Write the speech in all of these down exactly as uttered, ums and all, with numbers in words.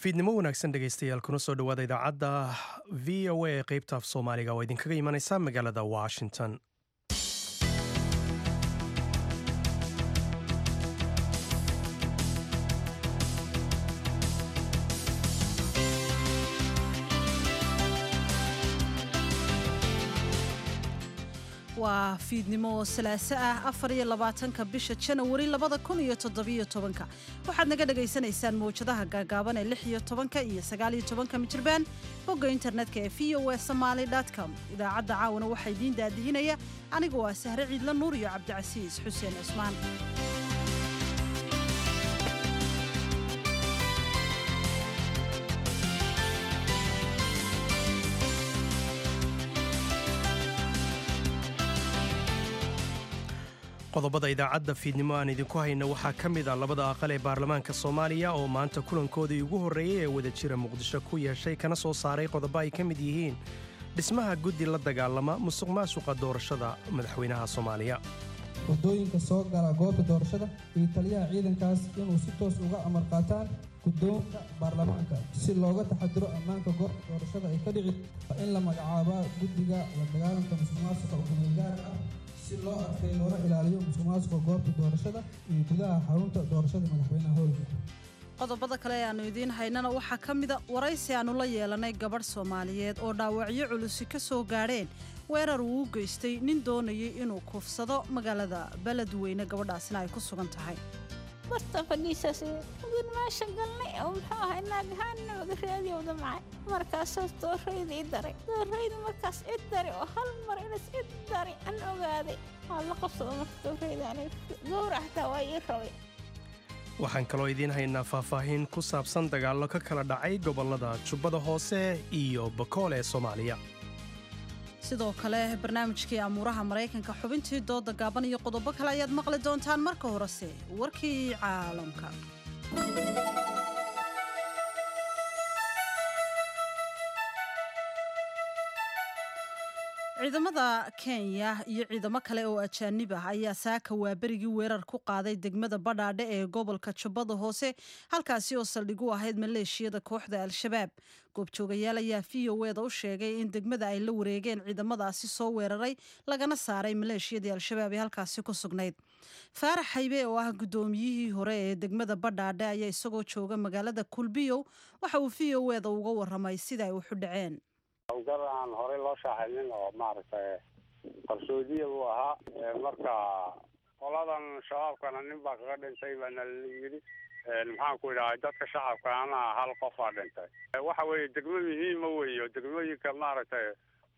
Fiidnimo wanaagsan, dhegaystayaal, kuna soo dhowaada idaacadda V O A ee qeybta af Soomaaliga oo idinkaga imanaysa magaalada Washington. Waa fiidnimo salaaso ah, afar iyo labaatanka bisha Janawari labada kun iyo toddobiyo tobanka. Waxaad naga dhagaysanaysaan mawjadaha gaagaaban ee lix iyo tobanka iyo sagaal iyo tobanka mitirban, bogga internetka ee V O A Somali com. Idaacadda caawana waxaa idiin daadihinaya anigoo ah Sahre Ciidla Nuur iyo Cabdicasiis Xuseen Cusmaan. Qodobada idaacadda fiidnimo aan idinku hayno waxaa ka mid ah labada aqal ee baarlamaanka Soomaaliya oo maanta kulankoodii ugu horreeyey ee wadajira Muqdisho ku yeeshay, kana soo saaray qodobo ay ka mid yihiin dhismaha guddi la dagaalama musuq maasuqa doorashada madaxweynaha Soomaaliya. Wadooyinka soo gala goobta doorashada iyo taliyaha ciidankaas inuu si toos uga amar qaataan guddoonka baarlamaanka si looga taxadiro ammaanka goobta doorashada ay ka dhici. Waa in la magacaabaa guddiga la dagaalanka musuqmaasuqa oo kumeel-gaar ah si loo adkeeyo loona ilaaliyo musuqmaasuqa goobta doorashada iyo gudaha xarunta doorashada madaxweynaha howlka. Qodobada kale ee aanu idiin haynana waxaa ka mida waraysi aanu la yeelanay gabadh Soomaaliyeed oo dhaawacyo culusi ka soo gaadheen weerar uu u geystay nin doonayay inuu kufsado magaalada Beledweyne, gabadhaasina ay ku sugan tahay. Barta fadhiisaas ugin meesha galnay oo muxuu ahay naagahaanna waga raadiyowda macay. Markaasaas doorayda i daray, doorayda markaas i daray oo hal mar inas i daray an ogaaday waa la qabsado. Marka doorayda aniga gowrac xataa waa ii rabay. Waxaan kaloo idiin haynaa faahfaahin ku saabsan dagaallo ka kala dhacay gobollada Jubbada Hoose iyo Bakool ee Soomaaliya. Sidoo kale barnaamijkii amuuraha Maraykanka, xubintii dooda gaaban iyo qodobo kale ayaad maqli doontaan. Marka horese warkii caalamka. Ciidamada Kenya iyo ciidamo kale oo ajaanib ah ayaa saaka waaberigii weerar ku qaaday degmada Badhaadhe ee gobolka Jubbada Hoose, halkaasi oo saldhig u ahayd maleeshiyada kooxda Al-Shabaab. Goobjoogayaal ayaa V O A da u sheegay in degmada ay la wareegeen ciidamadaasi soo weeraray, lagana saaray maleeshiyadii Al-Shabaab ee halkaasi ku sugnayd. Faarax Haybe oo ah guddoomiyihii hore ee degmada Badhaadhe ayaa isagoo jooga magaalada Kulbiyow waxa uu V O A da uga waramay sida ay waxu dhaceen. Howlgal aan horey loo shaacinin oo maaragtay qarsoodiya buu ahaa. Marka qoladan Shabaabkana nin baa kaga dhintay baana la yidhi. Maxaan ku idhahay, dadka shacabkaana hal qofaa dhintay. Waxa weeye degmo muhiima weeye, degmooyinka maaragtay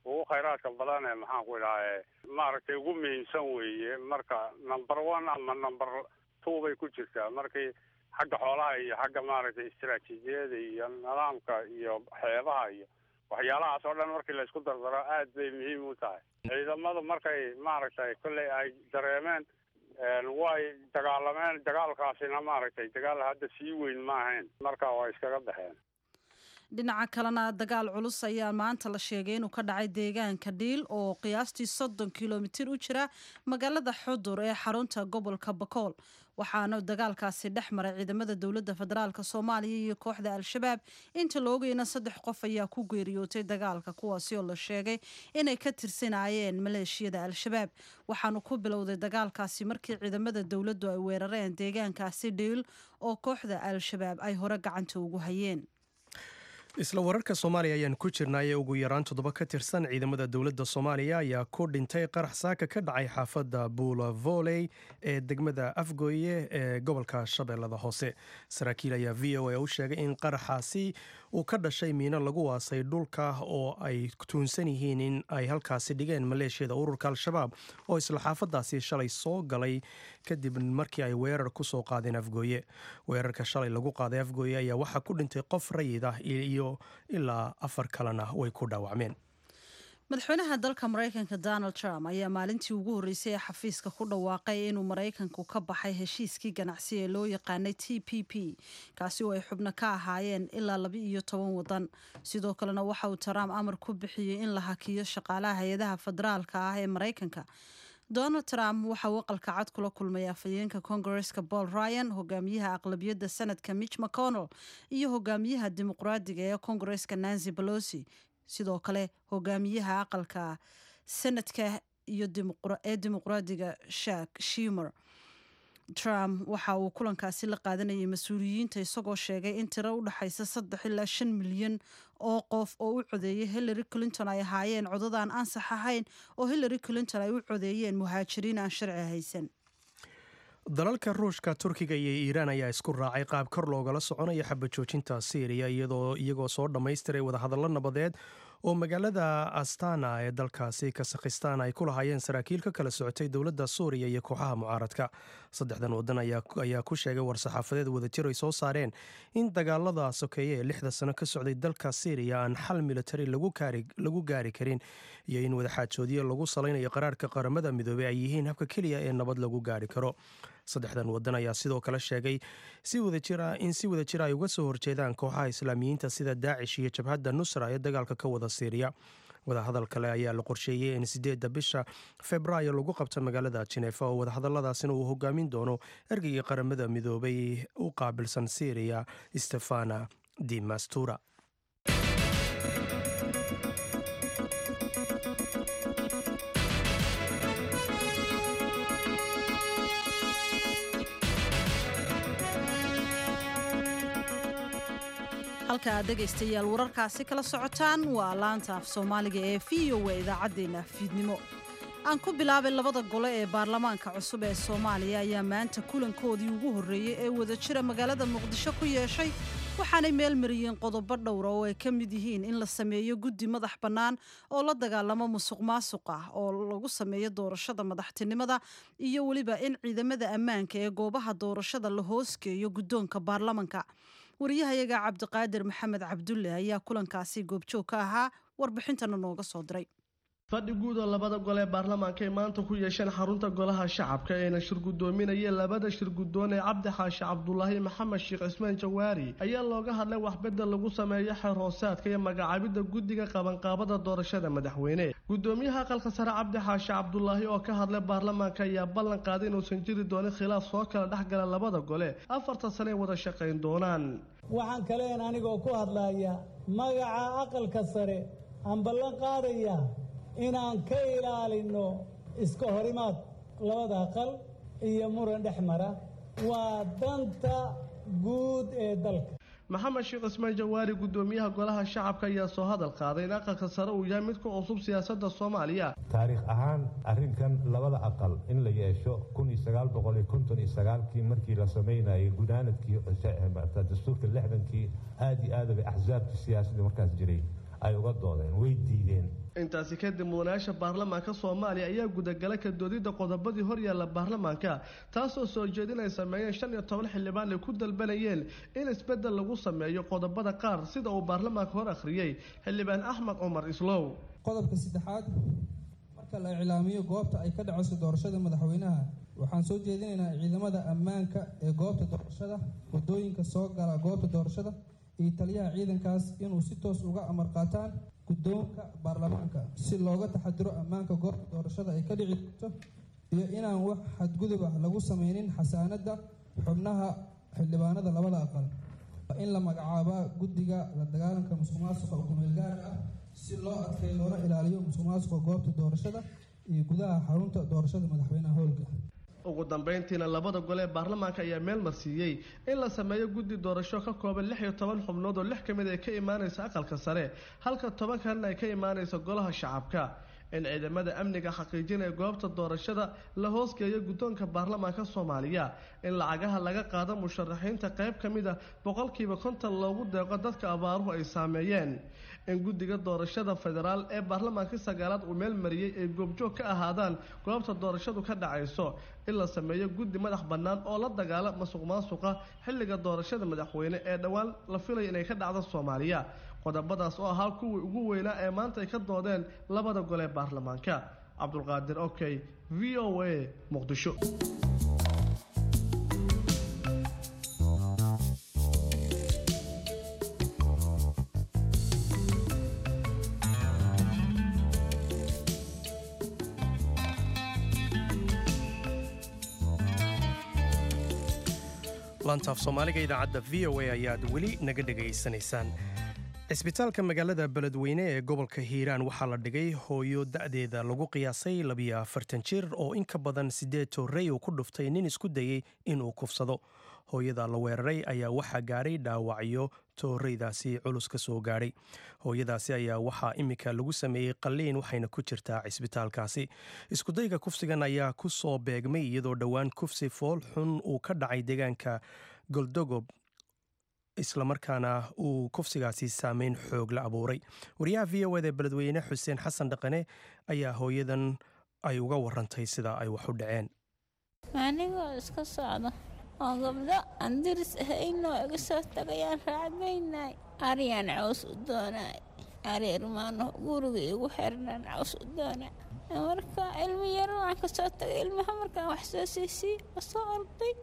ugu khayraadka badan ee maxaan ku idhahay maaragtay ugu muhiimsan weeye. Marka number one ama number two bay ku jirtaa markii xagga xoolaha iyo xagga maaragtay istaraatiijiyada iyo nidaamka iyo xeebaha iyo waxyaalahaas oo dhan markii la isku dardaro, aad bay muhiim u tahay. Ciidamadu markay maaragtay kolley ay dareemeen way dagaalameen. Dagaalkaasina maaragtay dagaal hadda sii weyn ma ahayn, marka waa iskaga baxeen. Dhinaca kalena dagaal culus ayaa maanta la sheegay inuu ka dhacay deegaanka Dhiil oo qiyaastii soddon kilomitir u jira magaalada Xudur ee xarunta gobolka Bakool. Waxaana dagaalkaasi dhex maray ciidamada dowladda federaalka Soomaaliya iyo kooxda Al-Shabaab. Inta la ogayna saddex qof ayaa ku geeriyootay dagaalka, kuwaasi oo la sheegay inay ka tirsanaayeen maleeshiyada Al-Shabaab. Waxaanu ku bilowday dagaalkaasi markii ciidamada dowladdu ay weerareen deegaankaasi Dhiil oo kooxda Al-Shabaab ay hore gacanta ugu hayeen. Isla wararka Soomaaliya ayaan ku jirnaaye, ugu yaraan toddoba ka tirsan ciidamada dowladda Soomaaliya ayaa ku dhintay qarax saaka ka dhacay xaafadda Buula Voley ee degmada Afgooye ee gobolka Shabeellada Hoose. Saraakiil ayaa V O A u sheegay in qaraxaasi uu ka dhashay miino lagu aasay dhulka oo ay tuunsan yihiin in ay halkaasi dhigeen maleeshiyada ururka Al-Shabaab oo isla xaafadaasi shalay soo galay kadib markii ay weerar ku soo qaadeen Afgooye. Weerarka shalay lagu qaaday Afgooye ayaa waxaa ku dhintay qof rayid ah iyo ilaa afar kalena way ku dhaawacmeen. Madaxweynaha dalka Maraykanka Donald Trump ayaa maalintii ugu horreysay ee xafiiska ku dhawaaqay inuu Maraykanku ka baxay heshiiskii ganacsi ee loo yaqaanay T P P, kaasi oo ay xubno ka ahaayeen ilaa laba iyo toban wadan. Sidoo kalena waxa uu Trump amar ku bixiyey in la hakiyo shaqaalaha hay-adaha federaalka ah ee Maraykanka. Donald Trump waxa uu aqalka cad kula kulmay afhayeenka Koongareeska Paul Ryan, hogaamiyaha aqlabiyadda Sanadka Mitch McConnell iyo hogaamiyaha Dimuqraadiga ee Koongareeska Nancy Pelosi, sidoo kale hogaamiyaha aqalka Sanadka iyo ee Dimuqraadiga Chuck Schumer. Trump waxa uu kulankaasi la qaadanayay mas-uuliyiinta isagoo sheegay in tiro u dhexaysa saddex ilaa shan milyan oo qof oo u codeeyay Hillary Clinton ay ahaayeen codadaan ansax ahayn oo Hillary Clinton ay u codeeyeen muhaajiriin aan sharci haysan. Dalalka Ruushka, Turkiga iyo Iiraan ayaa isku raacay qaab kor loogala soconayo xabajoojinta Siiriya, iyadoo iyagoo soo dhammaystiray wadahadallo nabadeed oo magaalada Astana ee dalkaasi Kasakhistan ay ku lahaayeen saraakiil ka kala socotay dowladda Suuriya iyo kooxaha mucaaradka. Saddexdan wadan ayaa ku sheegay war-saxaafadeed wadajir ay soo saareen in dagaalada sokeeye ee lixda sano ka socday dalka Siiriya aan xal militari lagu gaari karin iyo in wadaxaajoodyo lagu salaynayo qaraarka Qaramada Midoobey ay yihiin habka keliya ee nabad lagu gaari karo. Saddexdan wadan ayaa sidoo kale sheegay si wadajira in si wadajira ay uga soo horjeedaan kooxaha Islaamiyiinta sida Daacish iyo Jabhadda Nusra ee dagaalka ka wada Siiriya. Wadahadal kale ayaa la qorsheeyey in sideedda bisha Februaayo lagu qabto magaalada Jineefa, oo wadahadaladaasina uu hogaamin doono ergeygii Qaramada Midoobay u qaabilsan Siiriya, Stefana de Mastura. Halka aad dhegaystayaal wararkaasi kala socotaan waa laanta af Soomaaliga ee V O A, idaacaddeenna fiidnimo. Aan ku bilaabay, labada gole ee baarlamaanka cusub ee Soomaaliya ayaa maanta kulankoodii ugu horreeyey ee wadajira magaalada Muqdisho ku yeeshay, waxaanay meel mariyeen qodobo dhowra oo ay ka mid yihiin in la sameeyo guddi madax bannaan oo la dagaalamo musuq maasuq ah oo lagu sameeyo doorashada madaxtinimada, iyo weliba in ciidamada ammaanka ee goobaha doorashada la hoosgeeyo guddoonka baarlamanka. Wariyahayaga Cabdiqaadir Maxamed Cabdulle ayaa kulankaasi goobjoog ka ahaa, warbixintana nooga soo diray. Fadhi guud oo labada gole ee baarlamaanka ay maanta ku yeesheen xarunta Golaha Shacabka eena shir guddoominayeen labada shir guddoon ee Cabdi Xaashi Cabdulaahi, Maxamed Sheekh Cismaan Jawaari ayaa looga hadlay waxbedel lagu sameeyo xeer hoosaadka iyo magacaabidda guddiga qabanqaabada doorashada madaxweyne. Gudoomiyaha aqalka sare Cabdi Xaashi Cabdulaahi oo ka hadlay baarlamaanka ayaa ballan qaaday inuusan jiri doonin khilaaf soo kala dhexgala labada gole, afarta sane ay wada shaqayn doonaan. Waxaan kaleen anigoo ku hadlaya magaca aqalka sare aan ballan qaadaya inaan ka ilaalinno iska horimaad labada aqal iyo muran dhex mara. Waa danta guud ee dalka. Maxamed Sheekh Cismaan Jawaari, gudoomiyaha Golaha Shacabka, ayaa soo hadal qaaday in aqalka sare uu yahay mid ku cusub siyaasadda Soomaaliya. Taariikh ahaan arrinkan labada aqal in la yeesho kun iyo sagaal boqol iyo konton iyo sagaalkii markii la samaynayay gunaanadkii dastuurka lixdankii, aada iyo aad bay axsaabtii siyaasadda markaas jiray ay uga doodeen, way diideen. Intaasi kadib mudanayaasha baarlamaanka Soomaaliya ayaa gudagala ka doodidda qodobadii horyaalla baarlamaanka, taasoo soo jeedin ay sameeyeen shan iyo toban xildhibaan ay ku dalbanayeen in isbeddel lagu sameeyo qodobada qaar, sida uu baarlamaanka hor akhriyey xildhibaan Axmed Cumar Islow. Qodobka saddexaad, marka la iclaamiyo goobta ay ka dhacayso doorashada madaxweynaha, waxaan soo jeedinaynaa ciidamada ammaanka ee goobta doorashada, wadooyinka soo gala goobta doorashada iyo taliyaha ciidankaas inuu si toos uga amar qaataan guddoonka baarlamaanka si looga taxadiro ammaanka goobta doorashada ay ka dhici doonto iyo inaan wax xadgudub ah lagu sameynin xasaanadda xubnaha xildhibaanada labada aqal. Waa in la magacaabaa guddiga la dagaalanka musuq maasuqa oo kumeel gaarka ah si loo adkeeyo loona ilaaliyo musuq maasuqa goobta doorashada iyo gudaha xarunta doorashada madaxweynaha howlka. Ugu dambeyntiina labada gole ee baarlamaanka ayaa meel marsiiyey in la sameeyo guddi doorasho ka kooban lix iyo toban xubnood, oo lix ka mid ay ka imaanaysa aqalka sare halka toban kalena ay ka imaanaysa Golaha Shacabka, in ciidamada amniga xaqiijinaya goobta doorashada la hoosgeeyo guddoonka baarlamaanka Soomaaliya, in lacagaha laga qaado musharaxiinta qayb ka mid a boqolkiiba konton loogu deeqo dadka abaaruhu ay saameeyeen, in guddiga doorashada federaal ee baarlamaankii sagaalaad uu meel mariyey ay goobjoog ka ahaadaan goobta doorashadu ka dhacayso, in la sameeyo guddi madax bannaan oo la dagaala masuq maasuqa xilliga doorashada madaxweyne ee dhowaan la filaya inay ka dhacdo Soomaaliya. Qodobadaas oo ahaa kuwii ugu weynaa ee maanta ay ka doodeen labada gole ee baarlamaanka. Cabdulqaadir Okey, V O A, Muqdisho. Laantaaf Soomaaliga idaacadda V O A ayaad weli naga dhegaysanaysaan. Cisbitaalka magaalada Beledweyne ee gobolka Hiiraan waxaa la dhigay hooyo da'deeda lagu qiyaasay labiyo afartan jir oo in ka badan siddeed torrey uu ku dhuftay nin isku dayey inuu kufsado. Hooyada la weeraray ayaa waxaa gaadhay dhaawacyo tooreydaasi culus ka soo gaadhay. Hooyadaasi ayaa waxaa imika lagu sameeyey qalliin, waxayna ku jirtaa cisbitaalkaasi. Iskudayga kufsigan ayaa ku soo beegmay iyadoo dhowaan kufsi fool xun uu ka dhacay deegaanka Goldogob, islamarkaana uu kufsigaasi saameyn xoog la abuuray. Wariyaha V O eda Beledweyne Xuseen Xasan Dhaqane ayaa hooyadan ay uga warantay sida ay wax u dhaceen. Anigoo iska socda oo gabdho aan diris ahaynoo iga soo tagayaan raacdaynay, ariyaan caws u doonaay, ari irmaano guriga igu xirnaan caws u doonay. Marka ilmo yar waan ka soo tagay, ilmaha markaan wax soo siisii soo orday,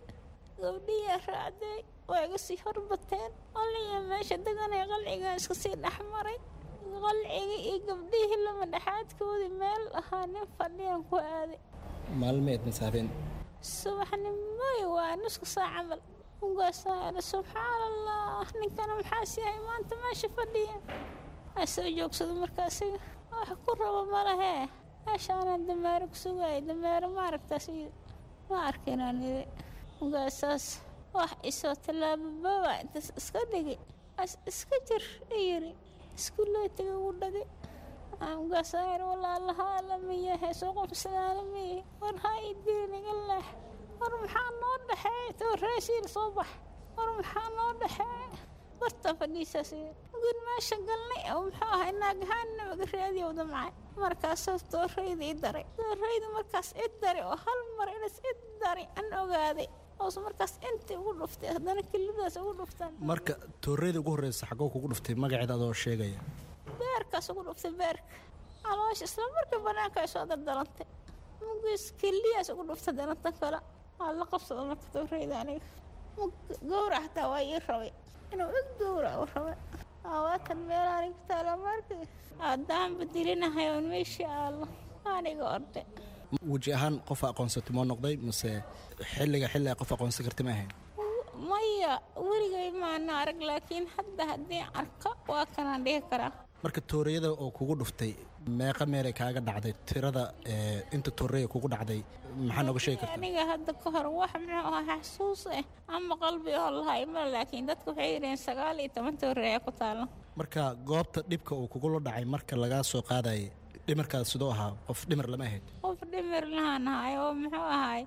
gabdhiyaa raacday, waa iga sii horbateen. Qalciga meesha deganay, qalcigaa iska sii dhexmaray. Qalciga iyo gabdhihii lama dhexaadkoodii meel ahaa nin fadhiyaan ku aaday. Maalmeed masaafeen? Subaxnimoy, waa nusku saac camal. Ugaasaa, subxaan Allah, ninkana maxaas yahay maanta meesha fadhiya? Aa soo joogsado. Markaasiga wax ku rabo malahee, meeshaanaan dameero ku sugaaya. Dameero ma aragtaa? Sida ma arkinaan iri. Ugaasaas wax isoo tallaabababa intaas iska dhigay, as iska jir iyiri, iskuuleytiga ugu dhagay. Ugaasaa yiri, walaalaha lamiyahe soo qofsadaalamiye, war ha ii dilin, iga leex, war maxaa noo dhexeey, tooreesiil soo bax, war maxaa noo dhexeey, barta fadhiisaas. Ugin meesha galnay oo muxuu ahay naagahaanna maga raadiyow damcay. Markaasoo tooreyda i daray, tooreyda markaas i daray oo hal mar inas i daray an ogaaday oos markaas intii ugu dhuftay, haddana kelidaas ugu dhuftaan. Marka tooreyda ugu horreysa xagoo kugu dhuftay, magaceeda adoo sheegaya? Beerkaas ugu dhuftay, beerka, caloosha. Isla markii banaanka ay soo dardalantay, mugiis keliyaas ugu dhuftay, haddana tan kale waa la qabsada. Marka tooreyda aniga gowrac xataa waa ii rabay, inuu ig gowrac u rabay. Waatan meel aniga taala markii haddaan bedelinahay oon meeshii aallo aniga orday. Weji ahaan qof aqoonsatay moo noqday, mase xilliga xilli qof aqoonsan karti ma ahayn? Maya, weligay maana arag, laakiin hadda haddii arko waa kanaan dhihi karaa. Marka tooreyada oo kugu dhuftay meeqa meelay kaaga dhacday? Tirada inta tooreya kugu dhacday maxaa nooga sheegi kartaa? Aniga hadda ka hor wax muxuu ahaa xasuus ah ama qalbi oo lahay ma, laakiin dadka waxay yidhaheen sagaal iyo toban tooreya ku taalo. Marka goobta dhibka uu kugula dhacay marka lagaa soo qaadayay, dhimarkaas sidoo ahaa? Qof dhimar lama ahayd? Qof dhimir lahaan ahay oo muxuu ahaay,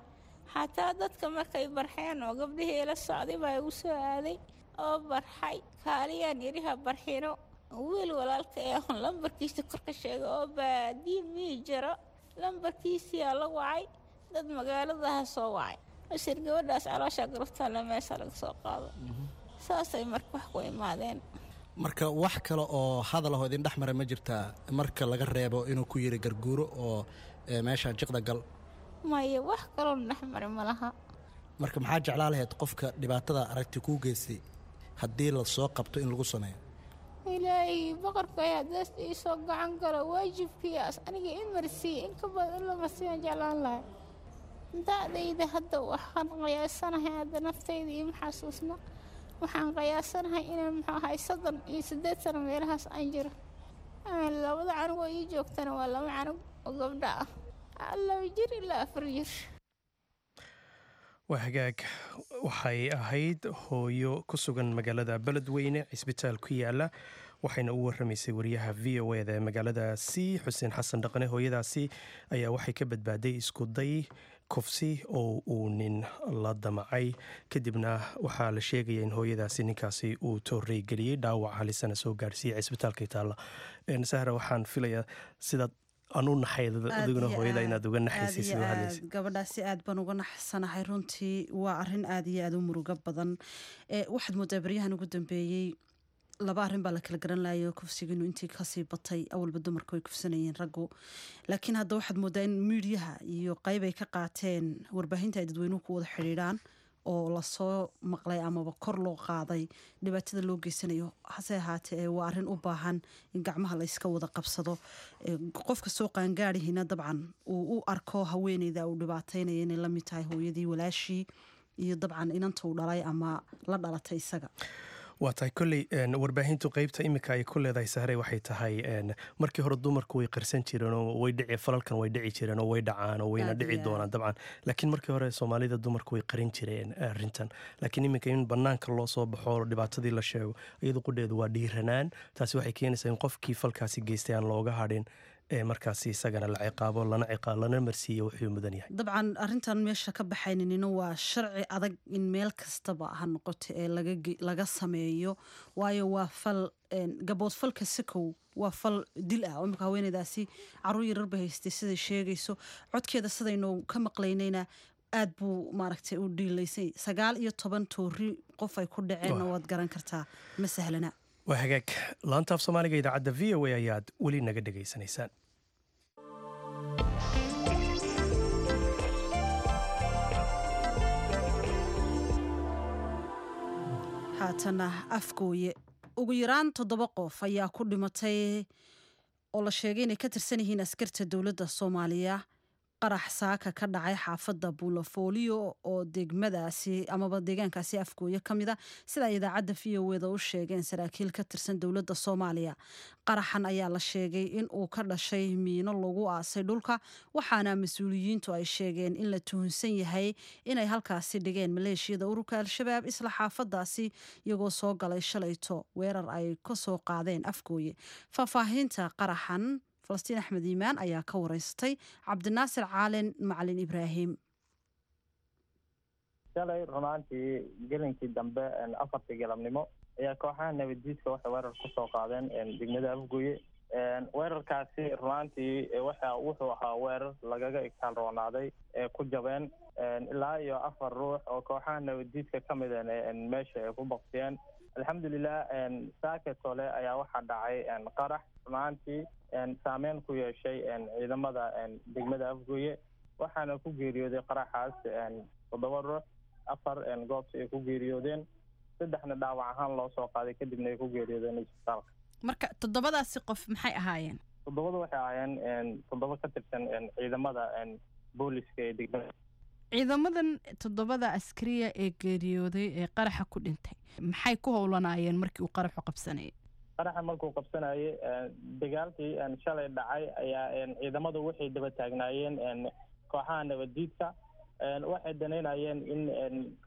xataa dadka markay barxeen oo gabdhihii ila socday baa igu soo aaday oo barxay, kaaliyaan iriha barxino. Wiil walaalka ee on lambarkiisa korka sheegay oo baadiye mii jiro, lambarkiisiyaa la wacay, dad magaaladaha soo wacay, bashir gabadhaas caloosha garabtaale meesha laga soo qaado. Saasay marka wax ku imaadeen. Marka wax kale oo hadal ahoo idin dhex mara ma jirtaa, marka laga reebo inuu ku yiri garguuro oo meesha jiqda gal? Maya, wax kaloo dhex mara ma laha. Marka maxaa jeclaa lahayd qofka dhibaatada aragti kuu geystay haddii la soo qabto in lagu sameeyo? Ilaahay boqorka haddaas iisoo gacan galo, waajibkiias aniga i marsiiye in ka badan in la marsiiyaan jeclaan lahay. Da'dayda hadda waxaan qiyaasanahay, hadda naftayda iima xasuusna, waxaan qiyaasanahay inaan muxuu ahay soddon iyo siddeed sano meelahaas aan jiro. Labada canug oo ii joogtana waa laba canug oo gabdho ah, laba jir ilaa afar jir. Waa hagaag. Waxay ahayd hooyo ku sugan magaalada Beledweyne, cisbitaal ku yaala, waxayna u warramaysay wariyaha V O eda ee magaaladaasi Xuseen Xasan Dhaqane. Hooyadaasi ayaa waxay ka badbaaday iskuday kufsi oo uu nin la damacay, kadibna waxaa la sheegaya in hooyadaasi ninkaasi uu toorey geliyey, dhaawac halisana soo gaarsiiyey cisbitaalka taalla. Sahra, waxaan filayaa sidaad aan u naxay adiguna hooyada inaad uga naxaysay sidoo hadlaysa. Gabadhaasi aad baan uga naxsanahay runtii, waa arrin aad iyo aad u murugo badan. Waxaad moodaa baryahan ugu dambeeyey laba arrin baa la kala garan lahayo, kufsiga inuu intii kasii batay. Awalba dumarka way kufsanayeen raggu, laakiin hadda waxaad moodaa in miidyaha iyo qayb ay ka qaateen warbaahinta ay dadweynuhu ku wada xidhiidhaan oo lasoo maqlay amaba kor loo qaaday dhibaatada loo geysanayo. Hase ahaatee waa arrin u baahan in gacmaha la iska wada qabsado, qofka soo qaangaadhihina dabcan uu u arko haweeneyda uu dhibaataynaya inay lamid tahay hooyadii, walaashii, iyo dabcan inanta uu dhalay ama la dhalatay isaga. Waa tahay. Kolley warbaahintu qeybta iminka ay ku leedahay, Sahre, waxay tahay markii hore dumarku way qarsan jireen oo way dhici, falalkan way dhici jireen oo way dhacaan oo wayna dhici doonaan dabcan, laakiin markii hore Soomaalida dumarku way qarin jireen arrintan. Laakiin iminka in banaanka loo soo baxo, dhibaatadii la sheego, iyadu qudheedu waa dhiiranaan. Taasi waxay keenaysaa in qofkii falkaasi geystay aan looga hadhin ee markaasi isagana la ciqaabo, lana ciqaab, lana marsiiyo wuxuu mudan yahay. Dabcan arrintan meesha ka baxayninina waa sharci adag in meel kastaba ha noqoto ee laga laga sameeyo, waayo waa fal gaboodfalka sakow waa fal dil ah oo imika haweeneydaasi caruur yarar bay haystay siday sheegayso codkeeda, sidaynu ka maqlaynayna aad buu maaragtay u dhiilaysay. Sagaal iyo toban toori qof ay ku dhaceenna waad garan kartaa, ma sahlana. Waa hagaag. Laanta af Soomaaliga idaacadda V O A ayaad weli naga dhegaysanaysaan. Haatana Afgooye. Ugu yaraan toddoba qof ayaa ku dhimatay oo la sheegay inay ka tirsan yihiin askarta dowladda Soomaaliya qarax saaka ka dhacay xaafadda Buulafooliyo oo degmadaasi amaba deegaankaasi Afgooye ka mid a, sida ay idaacadda V O A da u sheegeen saraakiil ka tirsan dowladda Soomaaliya. Qaraxan ayaa la sheegay in uu ka dhashay miino lagu aasay dhulka, waxaana mas-uuliyiintu ay sheegeen in la tuhunsan yahay inay halkaasi dhigeen maleeshiyada ururka Al-Shabaab isla xaafadaasi, iyagoo soo galay shalayto weerar ay ka soo qaadeen Afgooye. Faahfaahinta qaraxan Falastiin Axmed Iimaan ayaa ka wareystay Cabdinaasir Caalin Macalin Ibraahim. Shalay runaantii gelinkii dambe, afartii galabnimo, ayaa kooxaha nabaddiidka waxay weerar kusoo qaadeen degmada Afgooye. Weerarkaasi runaantii waxa wuxuu ahaa weerar lagaga igtaal roonaaday ee ku jabeen ilaa iyo afar ruux oo kooxaha nabaddiidka ka mid meesha ay ku baktiyeen. Alxamdulilah, saake tole ayaa waxaa dhacay qarax runaantii saameyn ku yeeshay ciidamada degmada Afgooye, waxaana ku geeriyooday qaraxaas toddoba ruux. Afar goobta ay ku geeriyoodeen, saddexna dhaawac ahaan loo soo qaaday, kadibna ay ku geeriyoodeen isbitaalka. Marka toddobadaasi qof maxay ahaayeen? Toddobada waxay ahaayeen toddoba ka tirsan ciidamada booliska ee degmada. Ciidamadan toddobada askariya ee geeriyooday ee qaraxa ku dhintay maxay ku howlanaayeen markii uu qaraxu qabsanayay? Qaraxa markuu qabsanayay, dagaalkii shalay dhacay ayaa ciidamadu waxay daba taagnaayeen kooxaha nabaddiidka. Waxay danaynayeen in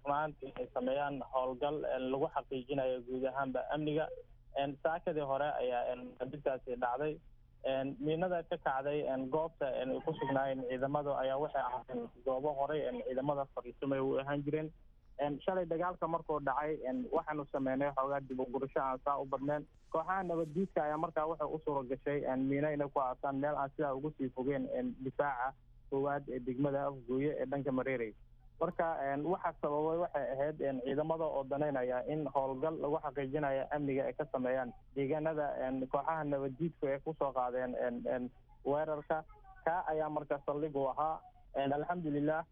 runaantii ay sameeyaan howlgal lagu xaqiijinayo guud ahaanba amniga. Saakadii hore ayaa dintaasi dhacday. Miinada ka kacday goobta ay ku sugnaayeen ciidamadu ayaa waxay ahaayeen goobo horey ciidamada fariisamay u ahaan jireen. Shalay dagaalka markuu dhacay waxaanu sameynay xoogaa dib u gurasho aan saa u badneen. Kooxaha nabaddiidka ayaa markaa waxay u suura gashay miino inay ku aasaan meel aan sidaa ugu sii fogeen difaaca koowaad ee degmada Afgooye ee dhanka Mareerey. Marka waxa sababay waxay ahayd ciidamada oo danaynaya in howlgal lagu xaqiijinayo amniga ay ka sameeyaan deegaanada kooxaha nabaddiidku ay kusoo qaadeen weerarka. Kaa ayaa marka saldhig u ahaa. Alxamdulilah,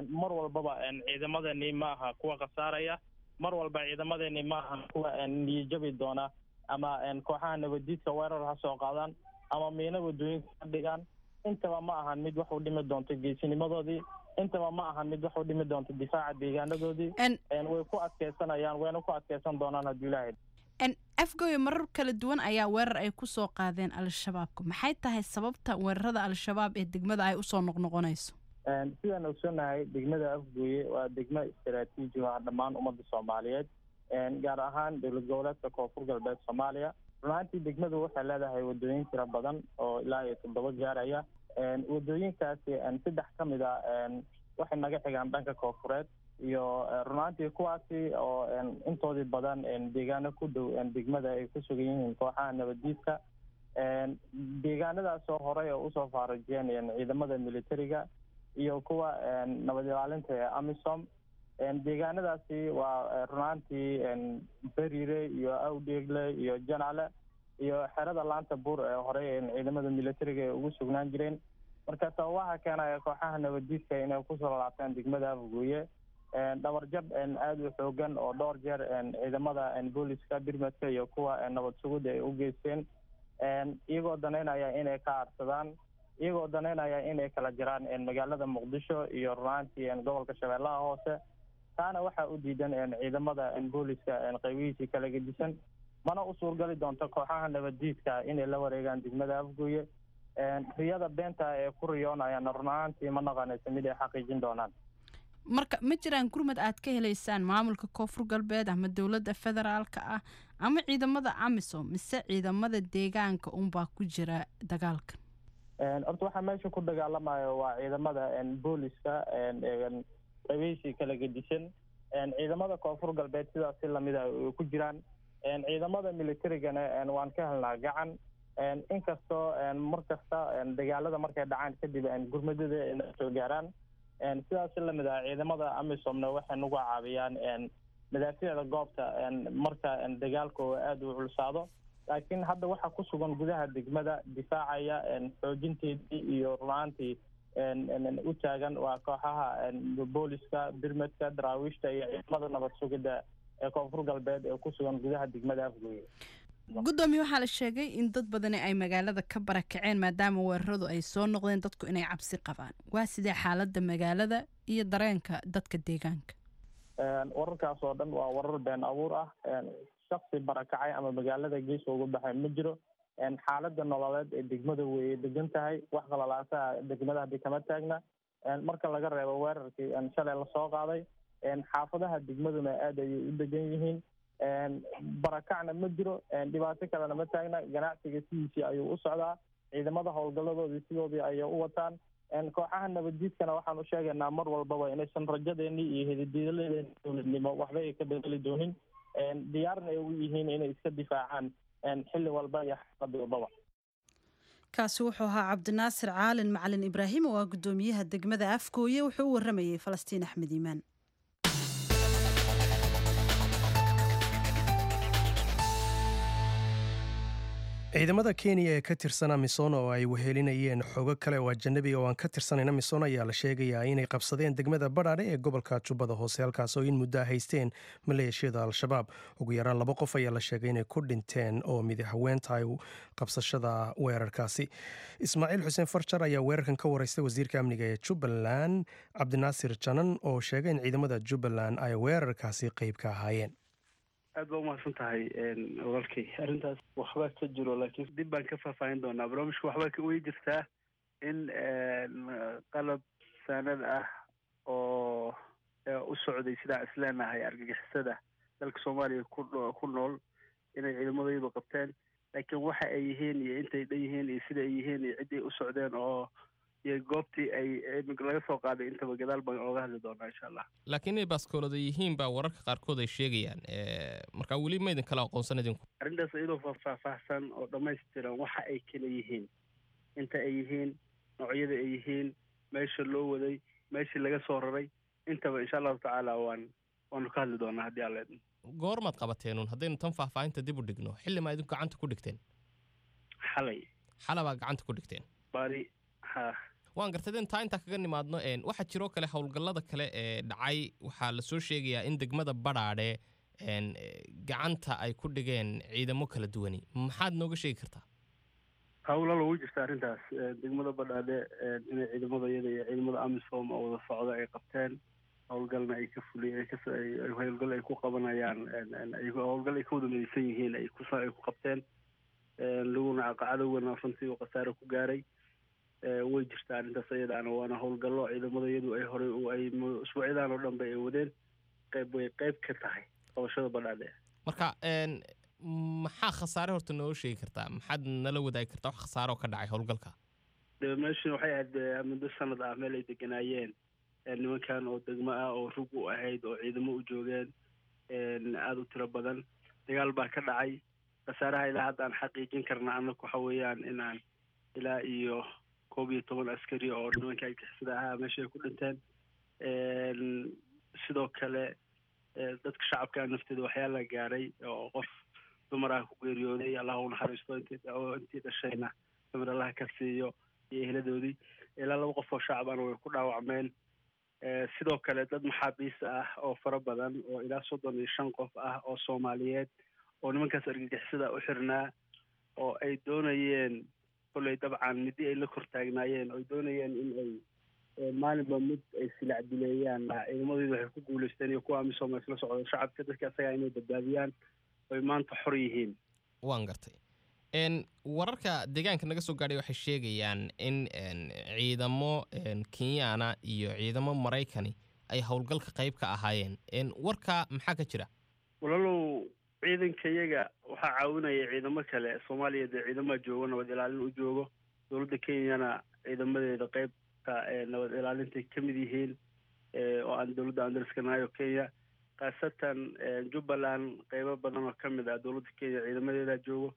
mar walbaba ciidamadani ma aha kuwa khasaaraya, mar walba ciidamadani ma aha kuwa niyajabi doona, ama kooxaha nabaddiidka weerar ha soo qaadaan ama miino wadooyinka ka dhigaan, intaba ma ahan mid wax u dhimi doonto geesinimadoodii, intaba ma ahan mid wax u dhimi doonto difaaca deegaanadoodii. Way ku adkeysanayaan, wayna ku adkeysan doonaan haddii Ilaahay. Afgooye marar kala duwan ayaa weerar ay ku soo qaadeen Al-Shabaabka. Maxay tahay sababta weerarada Al-Shabaab ee degmada ay usoo noqnoqonayso? Sidaan ogsoonahay, degmada Afgooye waa degmo istaraatiiji ah dhammaan ummadda Soomaaliyeed, gaar ahaan dowlad goboleedka Koonfur Galbeed Soomaaliya. Runaantii degmadu waxay leedahay wadooyin tiro badan oo ilaa iyo toddoba gaaraya. Wadooyinkaasi saddex ka mid a waxay naga xigaan dhanka koonfureed iyo runaantii kuwaasi oo intoodii badan deegaano ku dhow degmada ay ku sugan yihiin kooxaha nabaddiidka, deegaanadaasoo horey oo usoo faarujiyeen ciidamada militariga iyo kuwa nabad ilaalinta ee AMISOM. Deegaanadaasi waa runaantii Beriire iyo Awdheegle iyo Janale iyo xerada Laanta Buur ee horey ciidamada militariga ay ugu sugnaan jireen. Marka sababaha keenaya kooxaha nabaddiidka inay kusoo laabtaan degmada Afgooye, dhabarjab aada u xoogan oo dhowr jeer ciidamada booliska birmadka iyo kuwa nabad sugidda ay u geysteen, iyagoo danaynaya inay ka aarsadaan, iyagoo danaynaya inay kala jiraan magaalada Muqdisho iyo runaantii gobolka Shabeellaha Hoose. Taana waxaa u diidan ciidamada booliska qaybihiisii kala gedisan, mana u suurgali doonto kooxaha nabaddiidka inay la wareegaan degmada Afgooye. Riyada beenta ee ku riyoonayaana run ahaantii ma noqonayso mid ay xaqiijin doonaan. Marka ma jiraan gurmad aad ka helaysaan maamulka Koonfur Galbeed ama dowladda federaalka ah ama ciidamada AMISOM, mise ciidamada deegaanka unbaa ku jira dagaalkan? Horta waxaa meesha ku dagaalamayo waa ciidamada booliska qaybihiisii kala gedisan. Ciidamada Koonfur Galbeed sidaas si lamida ay ku jiraan. Ciidamada militarigana waan ka helnaa gacan, inkastoo mar kasta dagaalada markay dhacaan kadib gurmadada ay soo gaaraan. Sidaas si lamid ah ciidamada AMISOMna waxay nagu caawiyaan madaafiicda goobta marka dagaalku aada u culsaado. Laakiin hadda waxaa ku sugan gudaha degmada difaacaya xoojinteedii iyo runaantii u taagan waa kooxaha booliska, birmadka, daraawiishta iyo ciidamada nabad sugidda ee Koonfur Galbeed ee ku sugan gudaha degmada Afgooye. Guddoomiye, waxaa la sheegay in dad badani ay magaalada ka barakaceen maadaama weeraradu ay soo noqdeen, dadku inay cabsi qabaan. Waa sidee xaaladda magaalada iyo dareenka dadka deegaanka? Wararkaas oo dhan waa warar been abuur ah. Shaksi barakacay ama magaalada gees uga baxay ma jiro. Xaaladda nololeed ee degmada way degan tahay, wax qalalaasaha degmada hadii kama taagna marka laga reebo weerarkii shalay lasoo qaaday. Xaafadaha degmaduna aada ayay u degan yihiin, barakacna ma jiro, dhibaato kalena ma taagna. Ganacsiga sidiisii ayuu u socdaa, ciidamada howlgaladoodii sidoodii ayay u wataan. Kooxaha nabaddiidkana waxaan u sheegaynaa mar walbaba inaysan rajadeennii iyo hedidiiladeeni dowladnimo waxba ay ka bedeli doonin, diyaarna ay u yihiin inay iska difaacaan xilli walba iyo xaalad walbaba. Kaasi wuxuu ahaa Cabdinaasir Caalin Macalin Ibraahim oo ah guddoomiyaha degmada Afgooye. Wuxuu u waramayey Falastiin Axmed Iimaan. Ciidamada Kenya ee ka tirsan AMISOM oo ay wehelinayeen xogo kale oo ajanabiga oo aan ka tirsanayn AMISOM ayaa la sheegayaa inay qabsadeen degmada Badhaadhe ee gobolka Jubbada Hoose, halkaas oo in muddo haysteen maleeshiyada Al-Shabaab. Ugu yaraan laba qof ayaa la sheegay inay ku dhinteen oo mid haween tahay qabsashada weerarkaasi. Ismaaciil Xuseen Farjar ayaa weerarkan ka wareystay wasiirka amniga ee Jubbaland, Cabdinaasir Janan, oo sheegay in ciidamada Jubbaland ay weerarkaasi qayb ka ahaayeen. Aad baa umahadsan tahay walaalkay. Arrintaas waxbaa ka jiro, laakiin dib baan ka faahfaahin doonaa barnaamijka. Waxbaa ka wey jirtaa in qalab saanad ah oo u socday sidaa isleenahay argagixisada dalka Soomaaliya ku ku nool inay ciidamadayadu qabteen, laakiin waxa ay yihiin iyo intay dhan yihiin iyo sida ay yihiin iyo ciddii u socdeen oo iyo goobtii ay laga soo qaaday intaba gadaal baan ooga hadli doonaa insha Allah. Laakiin inay baaskoolada yihiin baa wararka qaarkood ay sheegayaan, marka weli ma idin kala aqoonsan idinku? Arrintaas iyadoo faahfaahsan oo dhammaystiran, waxa ay kala yihiin, inta ay yihiin, noocyada ay yihiin, meesha loo waday, meeshii laga soo raray, intaba insha Allahu tacaala waan waanu ka hadli doonaa haddii Alla idmo. Goormaad qabateenun? Haddaynu tan faahfaahinta dib u dhigno, xilli maa idinku gacanta ku dhigteen? Xalay. Xalabaa gacanta ku dhigteen? Bari ha. Waan gartay. Intaa intaa kaga nimaadno, waxaa jiroo kale howlgallada kale ee dhacay. Waxaa lasoo sheegayaa in degmada Badhaadhe gacanta ay ku dhigeen ciidamo kala duwani. Maxaad nooga sheegi kartaa? Howlal ugu jirta arrintaas degmada Badhaadhe inay ciidamada iyada iyo ciidamada AMISOM oo wada socda ay qabteen, howlgalna ay ka fuliy howlgal ay ku qabanayaan, howlgal ay ka wada midaysan yihiin ay ku ay ku qabteen, laguna cadowgana runtii uu khasaare ku gaaray. Way jirtaa arrintaas iyadaana, waana howlgallo ciidamada iyadu ay horey ay usbuucyadan oo dhan ba ay wadeen, qayb way qayb ka tahay qabashada Badhaadhe. Marka maxaa khasaare horta nooga sheegi kartaa? Maxaad nala wadaagi kartaa wax khasaare oo ka dhacay howlgalka? De meeshan waxay ahayd muddo sanad ah meel ay deganaayeen nimankan oo degmo ah oo rug u ahayd oo ciidamo u joogeen aada u tiro badan. Dagaal baa ka dhacay. Khasaaraha ilaa hadda aan xaqiijin karna annagu waxa weeyaan inaan ilaa iyo koob iyo toban askari oo nimanka argixisada ahaa meesha ay ku dhinteen. Sidoo kale dadka shacabka nafteeda waxyaala gaaray oo qof dumar ah ku geeriyooday, Allah u naxariisto, intii intii dhashayna samir Allah ka siiyo iyo eheladoodii. Ilaa laba qof oo shacabana way ku dhaawacmeen. Sidoo kale dad maxaabiis ah oo fara badan oo ilaa soddon iyo shan qof ah oo Soomaaliyeed oo nimankaas argagixisada u xirnaa oo ay doonayeen kolley dabcan midi ay la kor taagnaayeen oo ay doonayeen in ay Maalinba mid ay silac dileeyaan. Ciidamadoodu waxay ku guuleysteen iyo kuwa AMISOM isla socdo shacabka dadka asaga inay badbaadiyaan oy maanta xor yihiin. Waan gartay. N wararka deegaanka naga soo gaadhay waxay sheegayaan in ciidamo Kenyaana iyo ciidamo Maraykani ay howlgalka qayb ka ahaayeen. Warka maxaa ka jira? Walaalow, ciidanka iyaga waxaa caawinaya ciidamo kale. Soomaaliya dee ciidamaha joogo nabad ilaalin u joogo, dowladda Kenyana ciidamadeeda qaybta nabad ilaalintay ka mid yihiin oo aan dowladda andariska nahay oo Kenya, khaasatan Jubbaland qeybo badan oo ka mid ah dowladda Kenya ciidamadeeda joogo.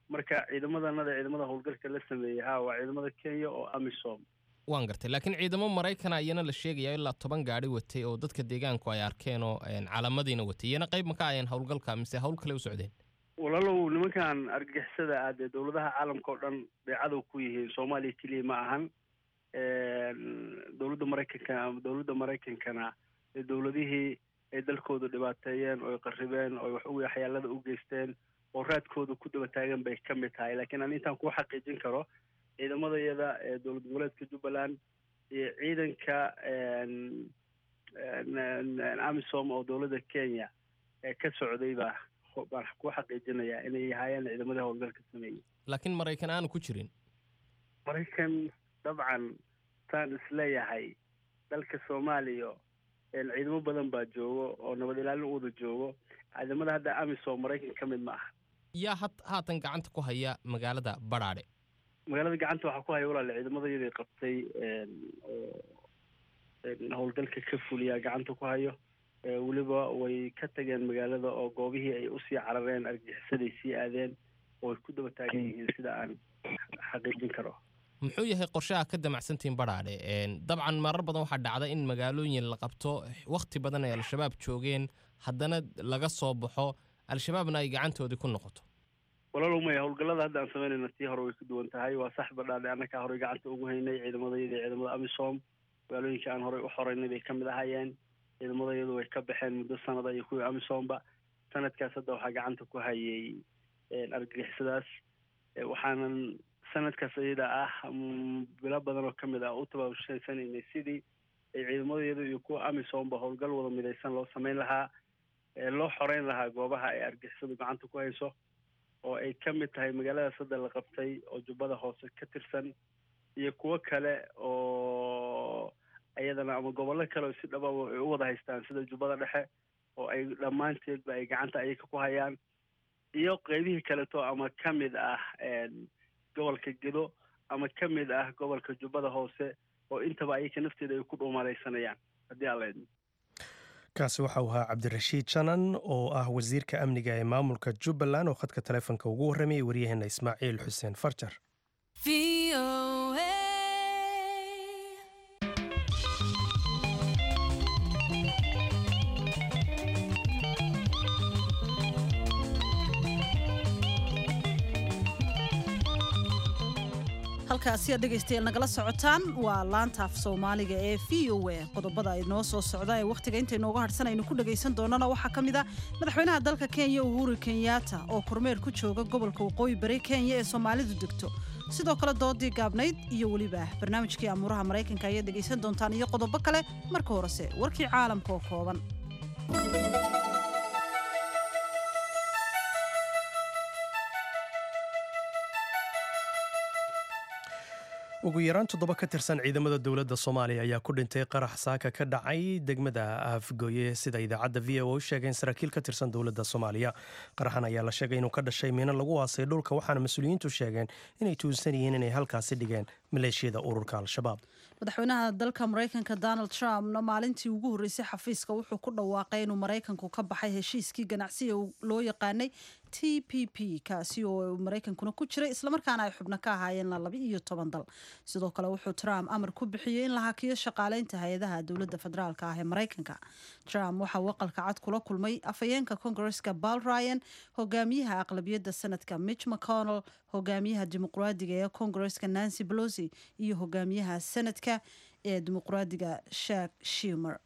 Marka ciidamadanada ciidamada howlgalka la sameeyey ha waa ciidamada Kenya oo AMISOM. Waan gartay, laakiin ciidamo Maraykana iyana la sheegaya ilaa toban gaari watay oo dadka deegaanku ay arkeen oo calaamadiina watay, iyana qayb ma ka ayeen howlgalka mise hawl kale u socdeen? Walaalow, nimankan argagixisada ah dee dowladaha caalamka oo dhan bay cadow ku yihiin, Soomaaliya keliya ma ahan. Dowladda Maraykanka ama dowladda Maraykankana ee dowladihii ay dalkooda dhibaateeyeen oo ay qarribeen oo wax u waxyaalada u geysteen oo raadkooda ku daba taagan bay ka mid tahay. Laakiin aan intaan kuu xaqiijin karo, ciidamada iyada ee dowlad goboleedka Jubbaland iyo ciidanka AMISOM oo dowladda Kenya ee ka socday baa baan ku xaqiijinayaa inay ahaayeen ciidamadii howlgalka sameeyey. Laakiin Maraykan aanu ku jirin? Maraykan dabcan saan isleeyahay dalka Soomaaliya ciidamo badan baa joogo oo nabad ilaalin u wada joogo. Ciidamada hadda AMISOM Maraykan ka mid ma aha. Yaa had haatan gacanta ku haya magaalada Badhaadhe? Magaalada gacanta waxaa ku haya walaal ciidamada iyadii qabtay oo howlgalka ka fuliyaa gacanta ku hayo. Weliba way ka tageen magaalada oo goobihii ay usii carareen argagixisaday sii aadeen oo ay ku daba taagan yihiin sida aan xaqiijin karo. Muxuu yahay qorshaha ka damacsantiin Badhaadhe? Dabcan marar badan waxaa dhacda in magaalooyin la qabto wakhti badan ay Al-Shabaab joogeen, haddana laga soo baxo, Al-Shabaabna ay gacantoodii ku noqoto. Walaalow maya, howlgallada hadda aan samaynayna tii hore way ku duwan tahay. Waa sax, Badhaadhe annakaa horey gacanta ugu haynay ciidamadayada iyo ciidamada AMISOM. Magaalooyinka aan horey u xoreynay bay ka mid ahaayeen. Ciidamadayadu way ka baxeen muddo sanada iyo kuwii AMISOMba. Sanadkaas hadda waxaa gacanta ku hayay argagixisadaas, waxaanan sanadkaas iyada ah bilo badan oo ka mid ah u tabaabushaysanaynay sidii ay ciidamadayadu iyo kuwa AMISOMba howlgal wada midaysan loo samayn lahaa, loo xoreyn lahaa goobaha ay argagixisadu gacanta ku hayso oo ay ka mid tahay magaaladaas hadda la qabtay oo Jubbada Hoose ka tirsan iyo kuwo kale oo iyadana ama gobollo kale oo si dhababa ay u wada haystaan sida Jubbada Dhexe oo ay dhammaanteedba ay gacanta ayaga ku hayaan, iyo qeybihii kaleto ama ka mid ah gobolka Gedo ama ka mid ah gobolka Jubbada Hoose oo intaba ayaga nafteeda ay ku dhuumalaysanayaan haddii aan la idmo. Kaasi waxa uu ahaa Cabdirashiid Janan oo ah wasiirka amniga ee maamulka Jubbaland oo khadka taleefonka ugu warramayay waryaheena Ismaaciil Xuseen Farjar. Halkaasi aad dhegaystayaal nagala socotaan waa laanta af Soomaaliga ee V O A. Qodobada ay noo soo socda ee wakhtiga inta inooga harsan aynu ku dhagaysan doonana waxaa ka mid ah madaxweynaha dalka Kenya Uhuru Kenyatta oo kormeer ku jooga gobolka Waqooyi Bari Kenya ee Soomaalidu degto. Sidoo kale doodii gaabnayd iyo weliba barnaamijkii amuuraha Maraykanka ayaad dhegaysan doontaan iyo qodobo kale. Marka horese warkii caalamka oo kooban. Ugu yaraan toddoba ka tirsan ciidamada dowladda Soomaaliya ayaa ku dhintay qarax saaka ka dhacay degmada Afgoye, sida idaacadda V O A u sheegeen saraakiil ka tirsan dowladda Soomaaliya. Qaraxan ayaa la sheegay inuu ka dhashay miino lagu aasay dhulka, waxaana mas-uuliyiintu sheegeen inay tuunsan yihiin inay halkaasi dhigeen maleeshiyada ururka Al-Shabaab. Madaxweynaha dalka Maraykanka Donald Trumpna maalintii ugu horreysay xafiiska wuxuu ku dhawaaqay inuu Maraykanku ka baxay heshiiskii ganacsiga loo yaqaanay T P P, kaasi oo Maraykankuna ku jiray islamarkaana ay xubno ka ahaayeen laba iyo toban dal. Sidoo kale wuxuu Trump amar ku bixiyey in la hakiyo shaqaaleynta hay-adaha dowladda federaalka ah ee Maraykanka. Trump waxa uu aqalka cad kula kulmay afhayeenka Koongareeska Paul Ryan, hogaamiyaha aqlabiyadda sanadka Mitch McConnell, hogaamiyaha dimuqraadiga ee Koongareeska Nancy Pelosi iyo hogaamiyaha sanadka ee dimuqraadiga Chuck Schumer.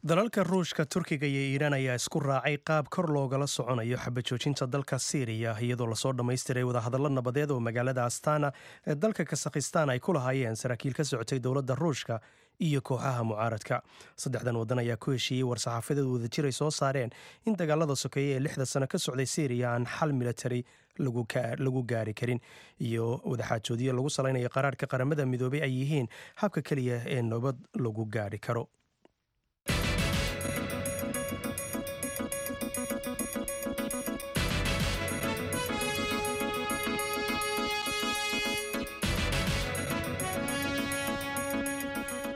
Dalalka Ruushka, Turkiga iyo Iiraan ayaa isku raacay qaab kor loogala soconayo xabajoojinta dalka Siiriya, iyadoo lasoo dhammaystiray wadahadallo nabadeed oo magaalada Astana ee dalka Kasakhistan ay ku lahaayeen saraakiil ka socotay dowladda Ruushka iyo kooxaha mucaaradka. Saddexdan waddan ayaa ku heshiiyey war-saxaafadeed wadajir ay soo saareen in dagaalada sokeeye ee lixda sano ka socday Siiriya aan xal militari lagu gaari karin, iyo wadaxaajoodiyo lagu salaynayo qaraarka Qaramada Midoobay ay yihiin habka keliya ee nabad lagu gaari karo.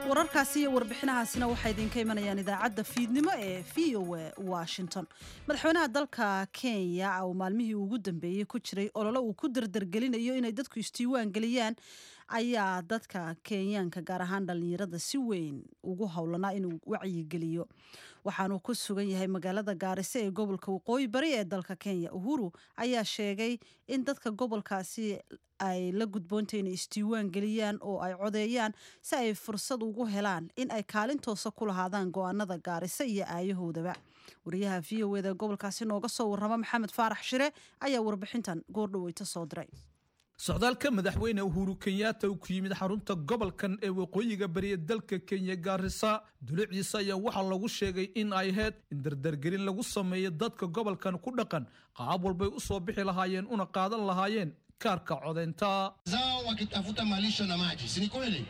Wararkaasi iyo warbixinahaasina waxay idinka imanayaan idaacadda fiidnimo ee V O A Washington. Madaxweynaha dalka Kenya oo maalmihii ugu dambeeyey ku jiray olole uu ku dardargelinayo inay dadku isdiiwaan geliyaan ayaa dadka Kenyaanka, gaar ahaan dhalinyarada, si weyn ugu howlanaa inuu wacyigeliyo. Waxaanuu ku sugan yahay magaalada Gaarisa ee gobolka Waqooyi Bari ee dalka Kenya. Uhuru ayaa sheegay in dadka gobolkaasi ay la gudboontay inay isdiiwaan geliyaan oo ay codeeyaan si ay fursad ugu helaan in ay kaalin toosa ku lahaadaan go'aanada Gaarisa iyo aayahoodaba. Wariyaha V O A-da gobolkaasi nooga soo warrama, Maxamed Faarax Shire, ayaa warbixintan goordhaweyta soo diray. Socdaalka madaxweyne Uhuru Kenyatta uu ku yimid xarunta gobolkan ee waqooyiga bari ee dalka Kenya, Gaarisa, dulucdiisa ayaa waxaa lagu sheegay in ay ahayd in dardargelin lagu sameeyo dadka gobolkan ku dhaqan qaab walbay u soo bixi lahaayeen una qaadan lahaayeen kaarka codeynta. Zao wakitafuta malisho na maji, si ni kweli?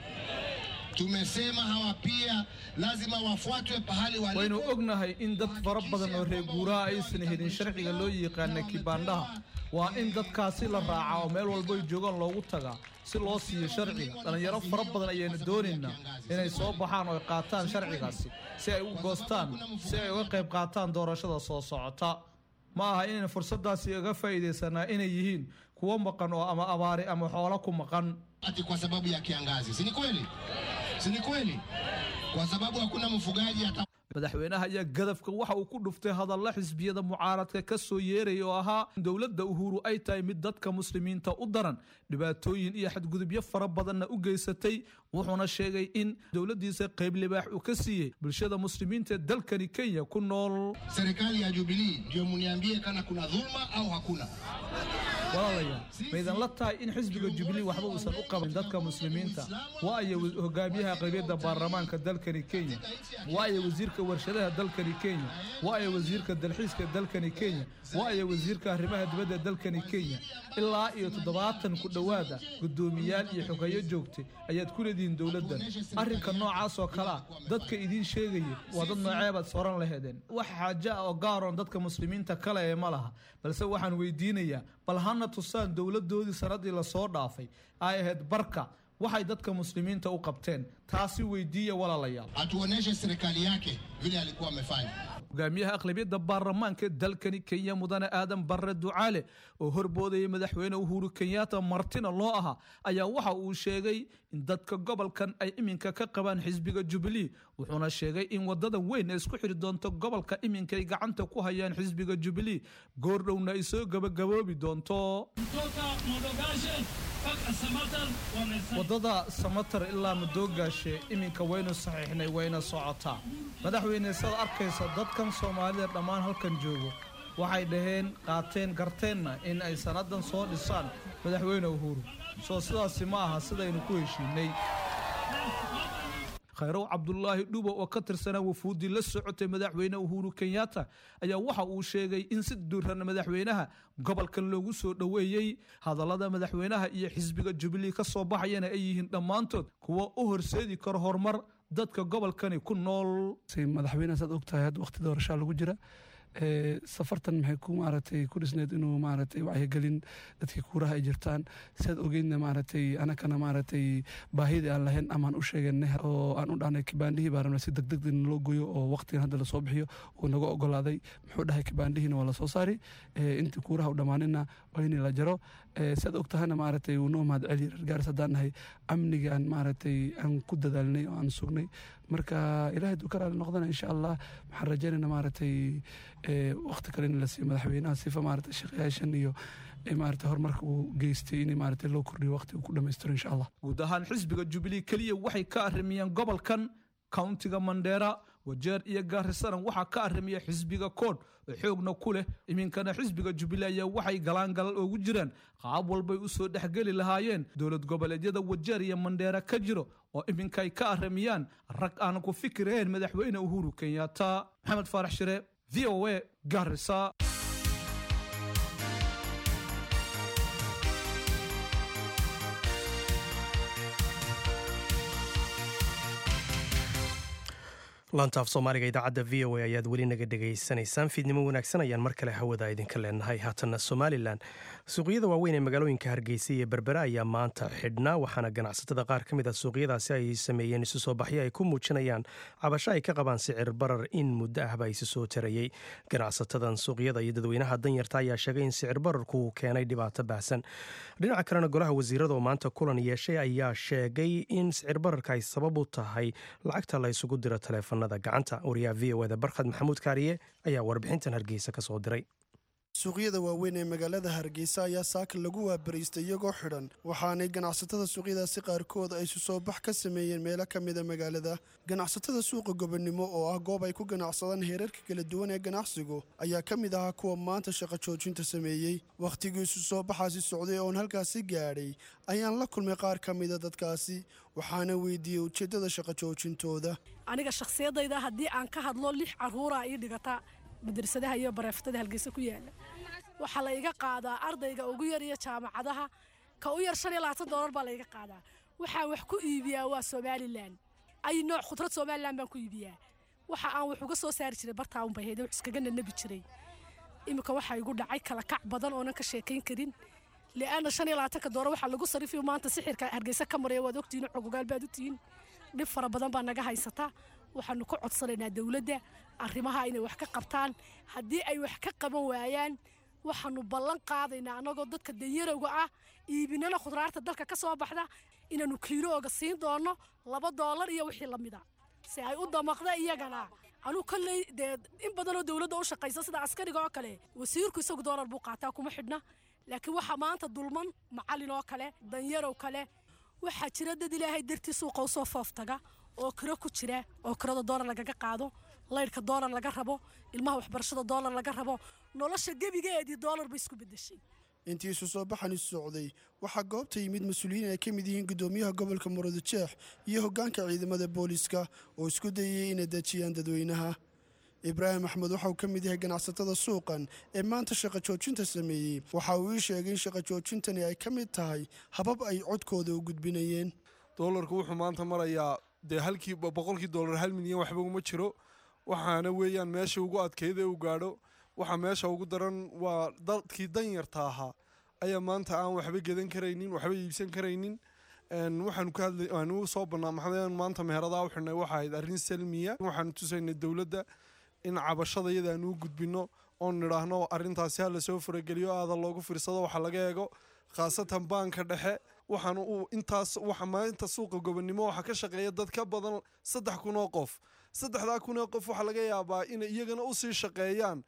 Tumesema hawa pia lazima wafuatwe pahali walipo. Waynu ognahay in dad fara badan oo reer guuraa aysan helin sharciga loo yaqaana kibaandhaha. Waa in dadkaasi la raacaa oo meel walba ay joogaan loogu tagaa si loo siiyo sharciga. Dhalinyaro fara badan ayaynu doonaynaa inay soo baxaan oo ay qaataan sharcigaasi si ay u goostaan, si ay uga qayb qaataan doorashada soo socota. Ma aha inaynu fursadaasi uga faa'iidaysanaa inay yihiin kuwo maqan oo ama abaari ama xoolo ku maqan. Ati kwa sababu ya kiangazi, si ni kweli? Si ni kweli? Kwa sababu hakuna mfugaji ata. Madaxweynaha ayaa gadafka waxa uu ku dhuftay hadalla xisbiyada mucaaradka ka soo yeeraya oo ahaa in dowladda Uhuru ay tahay mid dadka muslimiinta u daran, dhibaatooyin iyo xadgudubyo fara badanna u geysatay. Wuxuuna sheegay in dowladdiisa qayb libaax uu ka siiyey bulshada muslimiinta ee dalkani Kenya ku nool. Serikali ya Jubilee ndio muniambie kana kuna dhulma au hakuna. Walaalayaal, ma idin la tahay in xisbiga Jubilee waxba uusan u qaban dadka muslimiinta? Waa ay hogaamiyaha qaybiyadda baarlamaanka dalkani Kenya, waa ay wasiirka warshadaha dalkani Kenya, waa ay wasiirka dalxiiska dalkani Kenya, waa ay wasiirka arrimaha dibadda dalkani Kenya. Ilaa iyo toddobaatan ku dhowaada guddoomiyaal iyo xogeeyo joogtay ayaad ku leedihiin dowladdan. Arrinka noocaas oo kale ah dadka idiin sheegaya waa dad nooceebaad soran laheedeen. Wax xaajo ah oo gaaroon dadka muslimiinta kale ee ma laha, balse waxaan weydiinayaa bal hana tusaan dowladdoodii sanadii lasoo dhaafay ay ahayd barka waxay dadka muslimiinta u qabteen. Taasi weydiiya walaalayaal. Atuoneshe serikali yake vile alikuwa amefanya. Hogaamiyaha aqlabiyadda baarlamaanka dalkani Kenya, mudane Aadan Barre Ducaale, oo horboodayay madaxweyne Uhuru Kenyatta martina loo ahaa, ayaa waxa uu sheegay in dadka gobolkan ay iminka ka qabaan xisbiga Jubilee. Wuxuuna sheegay in wadada weyn ee isku xiri doonto gobolka iminka ay gacanta ku hayaan xisbiga Jubilee goordhowna ay soo gabagaboobi doonto. Wadada Samatar ilaa Madoogaashe iminka waynu saxiixnay, wayna socotaa. Madaxweyne, saad arkaysa dadkan Soomaalida dhammaan halkan joogo waxay dhaheen qaateen garteenna in ay sanadan soo dhisaan madaxweyne Uhuru. Soo sidaasi ma aha sidaynu ku heshiinay. Khayrow Cabdullaahi Dhubo oo ka tirsanaa wafuuddii la socotay madaxweyne Uhuru Kenyatta ayaa waxa uu sheegay in si duuran madaxweynaha gobolkan loogu soo dhoweeyey. Hadallada madaxweynaha iyo xisbiga Jubilee ka soo baxayana ay yihiin dhammaantood kuwa u horseedi kara horumar dadka gobolkani ku nool. Madaxweynaha saad ogtahay hadda waqti doorashaa lagu jira. Safartan maxay ku maaragtay ku dhisneed inuu maaragtay wacyigelin dadkii kuuraha ay jirtaan sidaad ogeydna maaragtay anakana maaragtay baahidii aan lahayn amaan u sheeganay oo aan u dhahnay kibaandhihii baa rabnaa si degdeg loo goyo oo waqtigan hadda lasoo bixiyo uu naga ogolaaday. Muxuu dhahay kibaandhihiina waa lasoo saari, intii kuuraha u dhammaanina waa in la jaro. Sidaad og tahayna maaragtay wuu noo mahad celiya reer Gaaris haddaan nahay amniga aan maaragtay aan ku dadaalnay oo aan sugnay. Marka ilaahay duu ka raali noqdana insha Allah waxaan rajaynaynaa maaragtay waqti kale in la siiyo madaxweynaha sifa maaragtay shaqayaashan iyo maaragtay horumarka uu geystay in maaragtay loo kordhiyo waqti uu ku dhammaystiro insha Allah. Guud ahaan xisbiga Jubilee keliya waxay ka arrimiyeen gobolkan countiga Mandera, Wajeer iyo Gaarisana waxaa ka arrimiya xisbiga Koodh oo xoogna ku leh. Iminkana xisbiga Jubilee ayaa waxay galaan galal ugu jiraan qaab walbay u soo dhexgeli lahaayeen dowlad goboleedyada Wajeer iyo Mandheera ka jiro oo iminka ay ka arrimiyaan rag aan ku fikireen madaxweyne Uhuru Kenyatta. Maxamed Faarax Shire, V O A, Garissa. Laantaaf Soomaaliga idaacadda V O A ayaad weli naga dhegaysanaysaan. Fiidnimo wanaagsan ayaan mar kale hawada idinka leenahay. Haatanna Somalilan, suuqyada waaweyn ee magaalooyinka Hargeysa iyo Berbera ayaa maanta xidhnaa, waxaana ganacsatada qaar ka mid a suuqyadaasi ay sameeyeen isu soo baxyo ay ku muujinayaan cabasho ay ka qabaan sicir barar in muddo ahba isu soo tarayey. Ganacsatadan suuqyada iyo dadweynaha danyarta ayaa sheegay in sicir bararku uu keenay dhibaato baahsan. Dhinaca kalena, golaha wasiirada oo maanta kulan yeeshay ayaa sheegay in sicir bararka ay sabab u tahay lacagta la isugu diro taleefon gacanta. Wariyaha V O da Barkhad Maxamuud Kaariye ayaa warbixintan Hargeysa ka soo diray. Suuqyada waaweyn ee magaalada Hargeysa ayaa saaka lagu waabariistay iyagoo xidhan, waxaanay ganacsatada suuqyadaasi qaarkood ay isu soo bax ka sameeyeen meelo ka mida magaalada. Ganacsatada suuqa Gobonimo oo ah goob ay ku ganacsadaan heerarka kala duwan ee ganacsigu ayaa ka mid ahaa kuwa maanta shaqo joojinta sameeyey. Wakhtigii isu soo baxaasi socday oon halkaasi gaadhay ayaan la kulmay qaar ka mida dadkaasi, waxaana weydiiyey ujeeddada shaqo joojintooda. Aniga shakhsiyadayda haddii aan ka hadlo, lix caruuraa ii dhigata madrasadaha iyo bareeftada Hargeysa ku yaala. Waxaa la iga qaadaa ardayga ugu yar iyo jaamacadaha ka u yar shan iyo labaatan doolar baa la iga qaadaa. Waxaan wax ku iibiyaa waa Somalilan, ay nooc khudrad Somalilan baan ku iibiyaa. Waxa aan wax uga soo saari jiray bartaa un bay hayde, wax iskaga nanabi jiray. Iminka waxaa igu dhacay kala kac badan oonan ka sheekayn karin, li'aana shan iyo labaatanka doolar waxaa lagu sarifiyo maanta sixirka Hargeysa ka maraya waad ogtihiin, xogogaal baad u tihiin. Dhib fara badan baa naga haysata. Waxaanu ka codsanaynaa dowladda arrimaha inay wax ka qabtaan. Haddii ay wax ka qaban waayaan, waxaanu ballan qaadaynaa annagoo dadka danyarowga ah iibinana khudraarta dalka ka soo baxda inaanu kiilooga siin doono laba doolar iyo wixii la mida si ay u damaqda iyagana. Anuu kolley dee in badanoo dowladda u shaqaysa sida askariga oo kale, wasiirku isagu doolar buu qaataa, kuma xidhna, laakiin waxaa maanta dulman macallin oo kale, danyarow kale. Waxaa jira dad Ilaahay dartii suuqa usoo fooftaga oo kiro ku jira, oo kirada doolar lagaga qaado, laydhka doolar laga rabo, ilmaha waxbarashada doolar laga rabo. Nolosha gebigeedii doolar bay isku beddeshay. Intii isu soo baxani socday waxaa goobta yimid mas-uuliyiin ay ka mid yihiin guddoomiyaha gobolka Murudujeex iyo hoggaanka ciidamada booliiska oo isku dayayay inay dejiyaan dadweynaha. Ibraahim Axmed waxa uu ka mid yahay ganacsatada suuqan ee maanta shaqo joojinta sameeyey. Waxa uu ii sheegay in shaqo joojintani ay ka mid tahay habab ay codkooda u gudbinayeen. Doolarku wuxuu maanta marayaa dee halkii boqolkii doolar hal milyan waxba uma jiro, waxaana weeyaan meesha ugu adkeyd ee uu gaadho. Waxa meesha ugu daran waa dadkii danyarta ahaa ayaa maanta aan waxba gedan karaynin, waxba iibsan karaynin. Waxaanu ka hadlay aanu soo bannaa maxamed maanta meheradaha u xidhnay waxa ahayd arrin salmiya. Waxaanu tusaynay dowladda in cabashada iyada aanu u gudbinno oon nidhaahno arrintaasi ha lasoo farageliyo, aada loogu fiirsado, waxa laga eego khaasatan baanka dhexe. Waxaanu u intaas waxa maalinta suuqa Gobonimo waxaa ka shaqeeya dad ka badan saddex kun oo qof. Saddexdaa kun oo qof waxaa laga yaabaa inay iyagana usii shaqeeyaan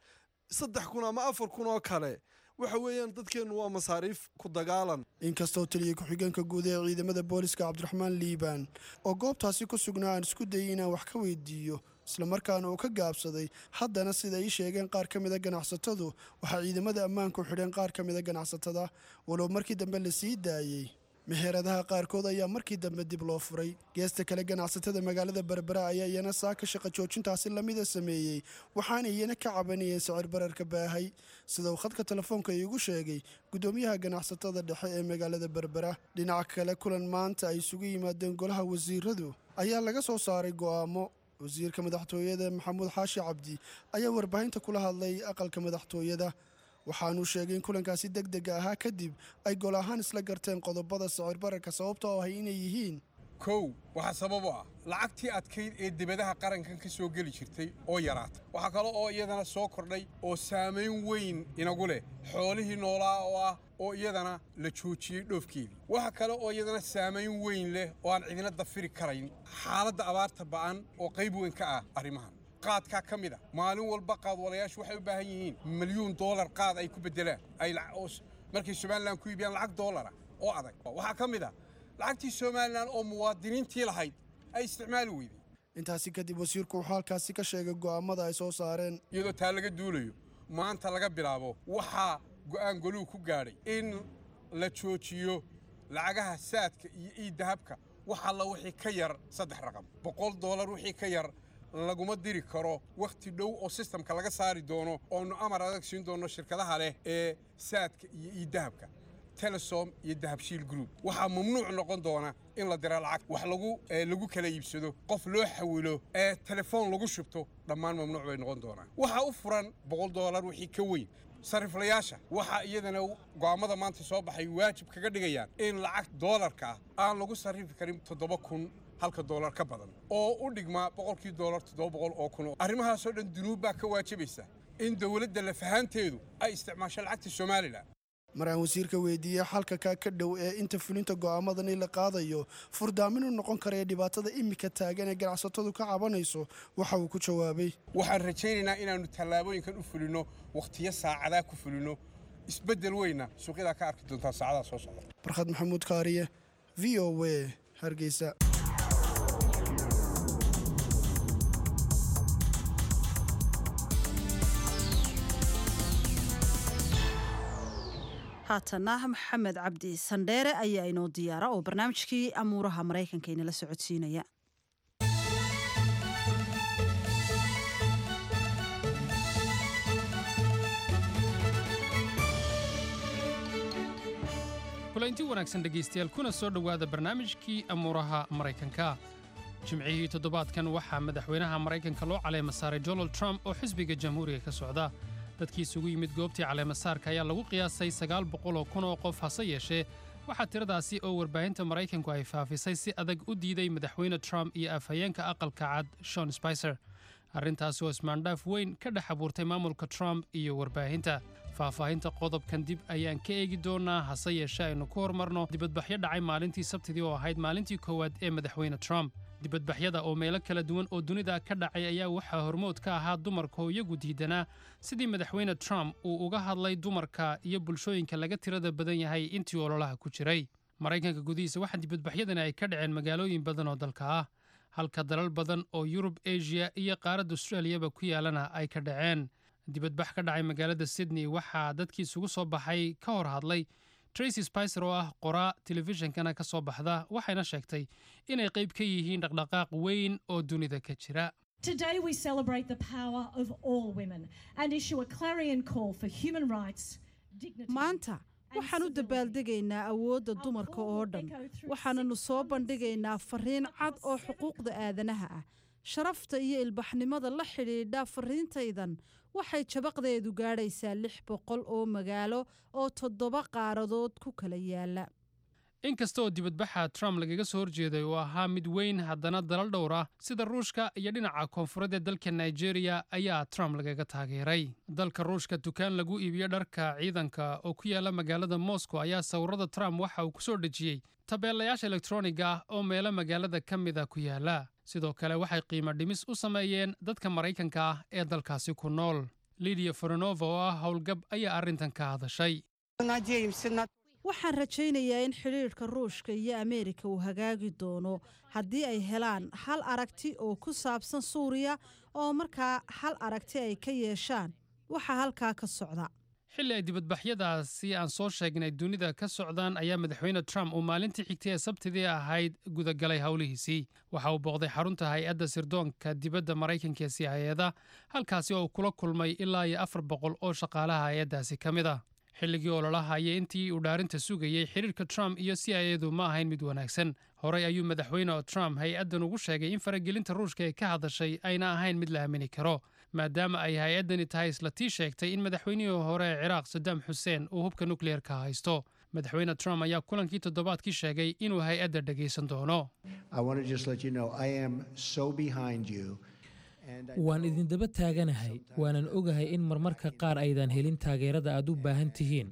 saddex kun ama afar kun oo kale. Waxa weeyaan dadkeennu waa masaariif ku dagaalan. Inkastoo taliya ku-xigeenka guud ee ciidamada booliska Cabdiraxmaan Liibaan oo goobtaasi ku sugnaa aan isku dayay inaan wax ka weydiiyo, islamarkaana uu ka gaabsaday, haddana sida ay sheegeen qaar ka mida ganacsatadu, waxaa ciidamada ammaanku xidheen qaar ka mida ganacsatada, walow markii dambe la sii daayey. Meheradaha qaarkood ayaa markii dambe dib loo furay. Geesta kale, ganacsatada magaalada Berbera ayaa iyana saaka shaqo joojintaasi lamida sameeyey, waxaana iyana ka cabanayeen sicir bararka baahay, sida uu khadka telefoonka iigu sheegay guddoomiyaha ganacsatada dhexe ee magaalada Berbera. Dhinaca kale, kulan maanta ay isugu yimaadeen golaha wasiiradu ayaa laga soo saaray go'aamo. Wasiirka madaxtooyada Maxamuud Xaashi Cabdi ayaa warbaahinta kula hadlay aqalka madaxtooyada, waxaanuu sheegay in kulankaasi deg dega ahaa kadib ay gol ahaan isla garteen qodobada sicir bararka sababta oo ahay inay yihiin: Kow, waxaa sabab u ah lacagtii adkayd ee dibadaha qarankan ka soo geli jirtay oo yaraatay. Waxaa kale oo iyadana soo kordhay oo saamayn weyn inagu leh xoolihii noolaa oo ah oo iyadana la joojiyey dhoofkeedii. Waxa kale oo iyadana saamayn weyn leh oo aan cidina dafiri karayn xaaladda abaarta ba'an oo qayb weyn ka ah arrimahan. Qaadkaa ka mid a, maalin walba qaadwalayaashu waxay u baahan yihiin milyuun doolar qaad ay ku beddelaan ay markay Somalilan ku iibiyaan lacag doolara oo adag. Waxaa ka mid a lacagtii Somalilan oo muwaadiniintii lahayd ay isticmaali weyday. Intaasi kadib wasiirku wuxuu halkaasi ka sheegay go'aamada ay soo saareen. Iyadoo taa laga duulayo, maanta laga bilaabo waxaa go'aan goluhu ku gaadhay in la joojiyo lacagaha Saadka iyo e-Dahabka. Wax alla wixii ka yar saddex raqam, boqol doolar wixii ka yar, laguma diri karo wakhti dhow oo systemka laga saari doono, oonu amar adag siin doono shirkadaha leh ee Saadka iyo e-Dahabka, Telesom iyo Dahabshiil Group. Waxaa mamnuuc noqon doona in la dira lacag, wax lagu lagu kala iibsado, qof loo xawilo, ee telefoon lagu shubto, dhammaan mamnuuc bay noqon doonaan. Waxaa u furan boqol doolar wixii ka weyn sariflayaasha. Waxaa iyadana go'aamada maanta soo baxay waajib kaga dhigayaan in lacag doolarka ah aan lagu sarrifi karin toddoba kun halka doolar ka badan, oo u dhigmaa boqolkii doolar toddoba boqol oo kun. Arrimahaasoo dhan dunuub baa ka waajibaysa in dowladda lafahaanteedu ay isticmaasho lacagta Somaliland. Maraan wasiirka weydiiyey xalka kaa ka dhow ee inta fulinta go'aamadani la qaadayo furdaamin u noqon karaya dhibaatada imika taagan ee ganacsatadu ka cabanayso, waxa uu ku jawaabay: Waxaan rajaynaynaa inaannu tallaabooyinkan u fulinno wakhtiyo saacadaa ku fulinno, isbeddel weyna suuqyadaa ka arki doontaa saacadaha soo socda. Barkhad Maxamuud Kaariye, V O A, Hargeysa. Haatana Maxamed Cabdi Sandheere ayaa inoo diyaara oo barnaamijkii amuuraha Maraykanka inala socodsiinaya. Kulanti wanaagsan dhegaystayaal, kuna soo dhowaada barnaamijkii amuuraha Maraykanka. Jimcihii toddobaadkan waxaa madaxweynaha Maraykanka loo caleema saaray Donald Trump oo xisbiga Jamhuuriga ka socda. Dadkii isugu yimid goobtii caleemasaarka ayaa lagu qiyaasay sagaal boqol oo kun oo qof. Hase yeeshee, waxaa tiradaasi oo warbaahinta Maraykanku ay faafisay si adag u diiday madaxweyne Trump iyo afhayeenka Aqalka Cad Sean Spicer, arrintaasi oo ismaandhaaf weyn ka dhex abuurtay maamulka Trump iyo warbaahinta. Faahfaahinta qodobkan dib ayaan ka eegi doonaa, hase yeeshee aynu ku hormarno dibadbaxyo dhacay maalintii Sabtidii oo ahayd maalintii koowaad ee madaxweyne Trump. Dibadbaxyada oo meelo kala duwan oo dunida ka dhacay ayaa waxaa hormood ka ahaa dumarka oo iyagu diidanaa sidii madaxweyne Trump uu uga hadlay dumarka iyo bulshooyinka laga tirada badan yahay intii ololaha ku jiray. Maraykanka gudihiisa waxaa dibadbaxyadani ay ka dhaceen magaalooyin badan oo dalka ah, halka dalal badan oo Yurub, Asia iyo qaaradda Australiyaba ku yaalana ay ka dhaceen. Dibadbax ka dhacay magaalada Sydney waxaa dadkii isugu soo baxay ka hor hadlay Tracy Spicer oo ah qoraa telefishinkana ka soo baxda, waxayna sheegtay inay qayb ka yihiin dhaqdhaqaaq weyn oo dunida ka jira. Today we celebrate the power of all women and issue a clarion call for human rights, dignity. Maanta waxaan u dabaaldegaynaa awoodda dumarka oo dhan, waxaananu soo bandhigaynaa fariin cad oo xuquuqda aadanaha ah, sharafta iyo ilbaxnimada la xidhiidha. Fariintaydan waxay jabaqdeedu gaadhaysaa lix boqol oo magaalo oo toddoba qaaradood ku kala yaala. Inkasta oo dibadbaxa Trump lagaga soo horjeeday uu ahaa mid weyn, haddana dalal dhowr ah sida Ruushka iyo dhinaca koonfureed ee dalka Nigeria ayaa Trump lagaga taageeray. Dalka Ruushka, dukaan lagu iibiyo dharka ciidanka oo ku yaala magaalada Moscow ayaa sawirada Trump waxa uu ku soo dhejiyey tabeelayaasha elektroniga ah oo meelo magaalada ka mida ku yaala. Sidoo kale waxay qiimo dhimis u sameeyeen dadka Maraykanka ah ee dalkaasi ku nool. Lidia Foronova oo ah howlgab ayaa arrintan ka hadashay. Waxaan rajaynayaa in xidhiidhka Ruushka iyo Ameerika uu hagaagi doono haddii ay helaan hal aragti oo ku saabsan Suuriya, oo markaa hal aragti ay ka yeeshaan waxa halkaa ka socda. Xilli ay dibadbaxyadaasi aan soo sheegnay dunida ka socdaan ayaa madaxweyne Trump uu maalintii xigtay ee Sabtidii ahayd gudagalay howlihiisii. Waxa uu booqday xarunta hay-adda sirdoonka dibadda Maraykanka ee C I A-da, halkaasi oo uu kula kulmay ilaa iyo afar boqol oo shaqaalaha hay-addaasi ka mid ah. Xilligii ololaha iyo intii uu dhaarinta sugayey, xiriirka Trump iyo C I A-du ma ahayn mid wanaagsan. Horey ayuu madaxweyne Trump hay-addan ugu sheegay in faragelinta Ruushka ee ka hadashay ayna ahayn mid la aamini karo, maadaama ay hay-addani tahay isla tii sheegtay in madaxweynihii hore ee Ciraaq Saddam Xuseen uu hubka nukliyeerka haysto. Madaxweyne Trump ayaa kulankii toddobaadkii sheegay inuu hay-adda dhegaysan doono. Waan idindaba taaganahay, waanan ogahay in marmarka qaar aydan helin taageerada aad u baahan tihiin.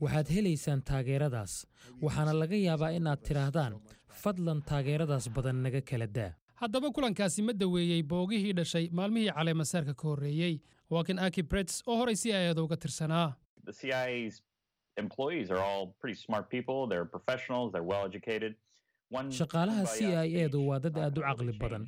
Waxaad helaysaan taageeradaas, waxaana laga yaabaa inaad tidhaahdaan, "Fadlan taageeradaas badan naga kala daa." Haddaba kulankaasi ma daweeyey boogihii dhashay maalmihii caleemasaarka ka horreeyey? Waa kan Aki Brets oo horay C I A-da uga tirsanaa. The C I A's employees are all pretty smart people. They're professionals, they're well educated. Shaqaalaha C I A du waa dad aad u caqli badan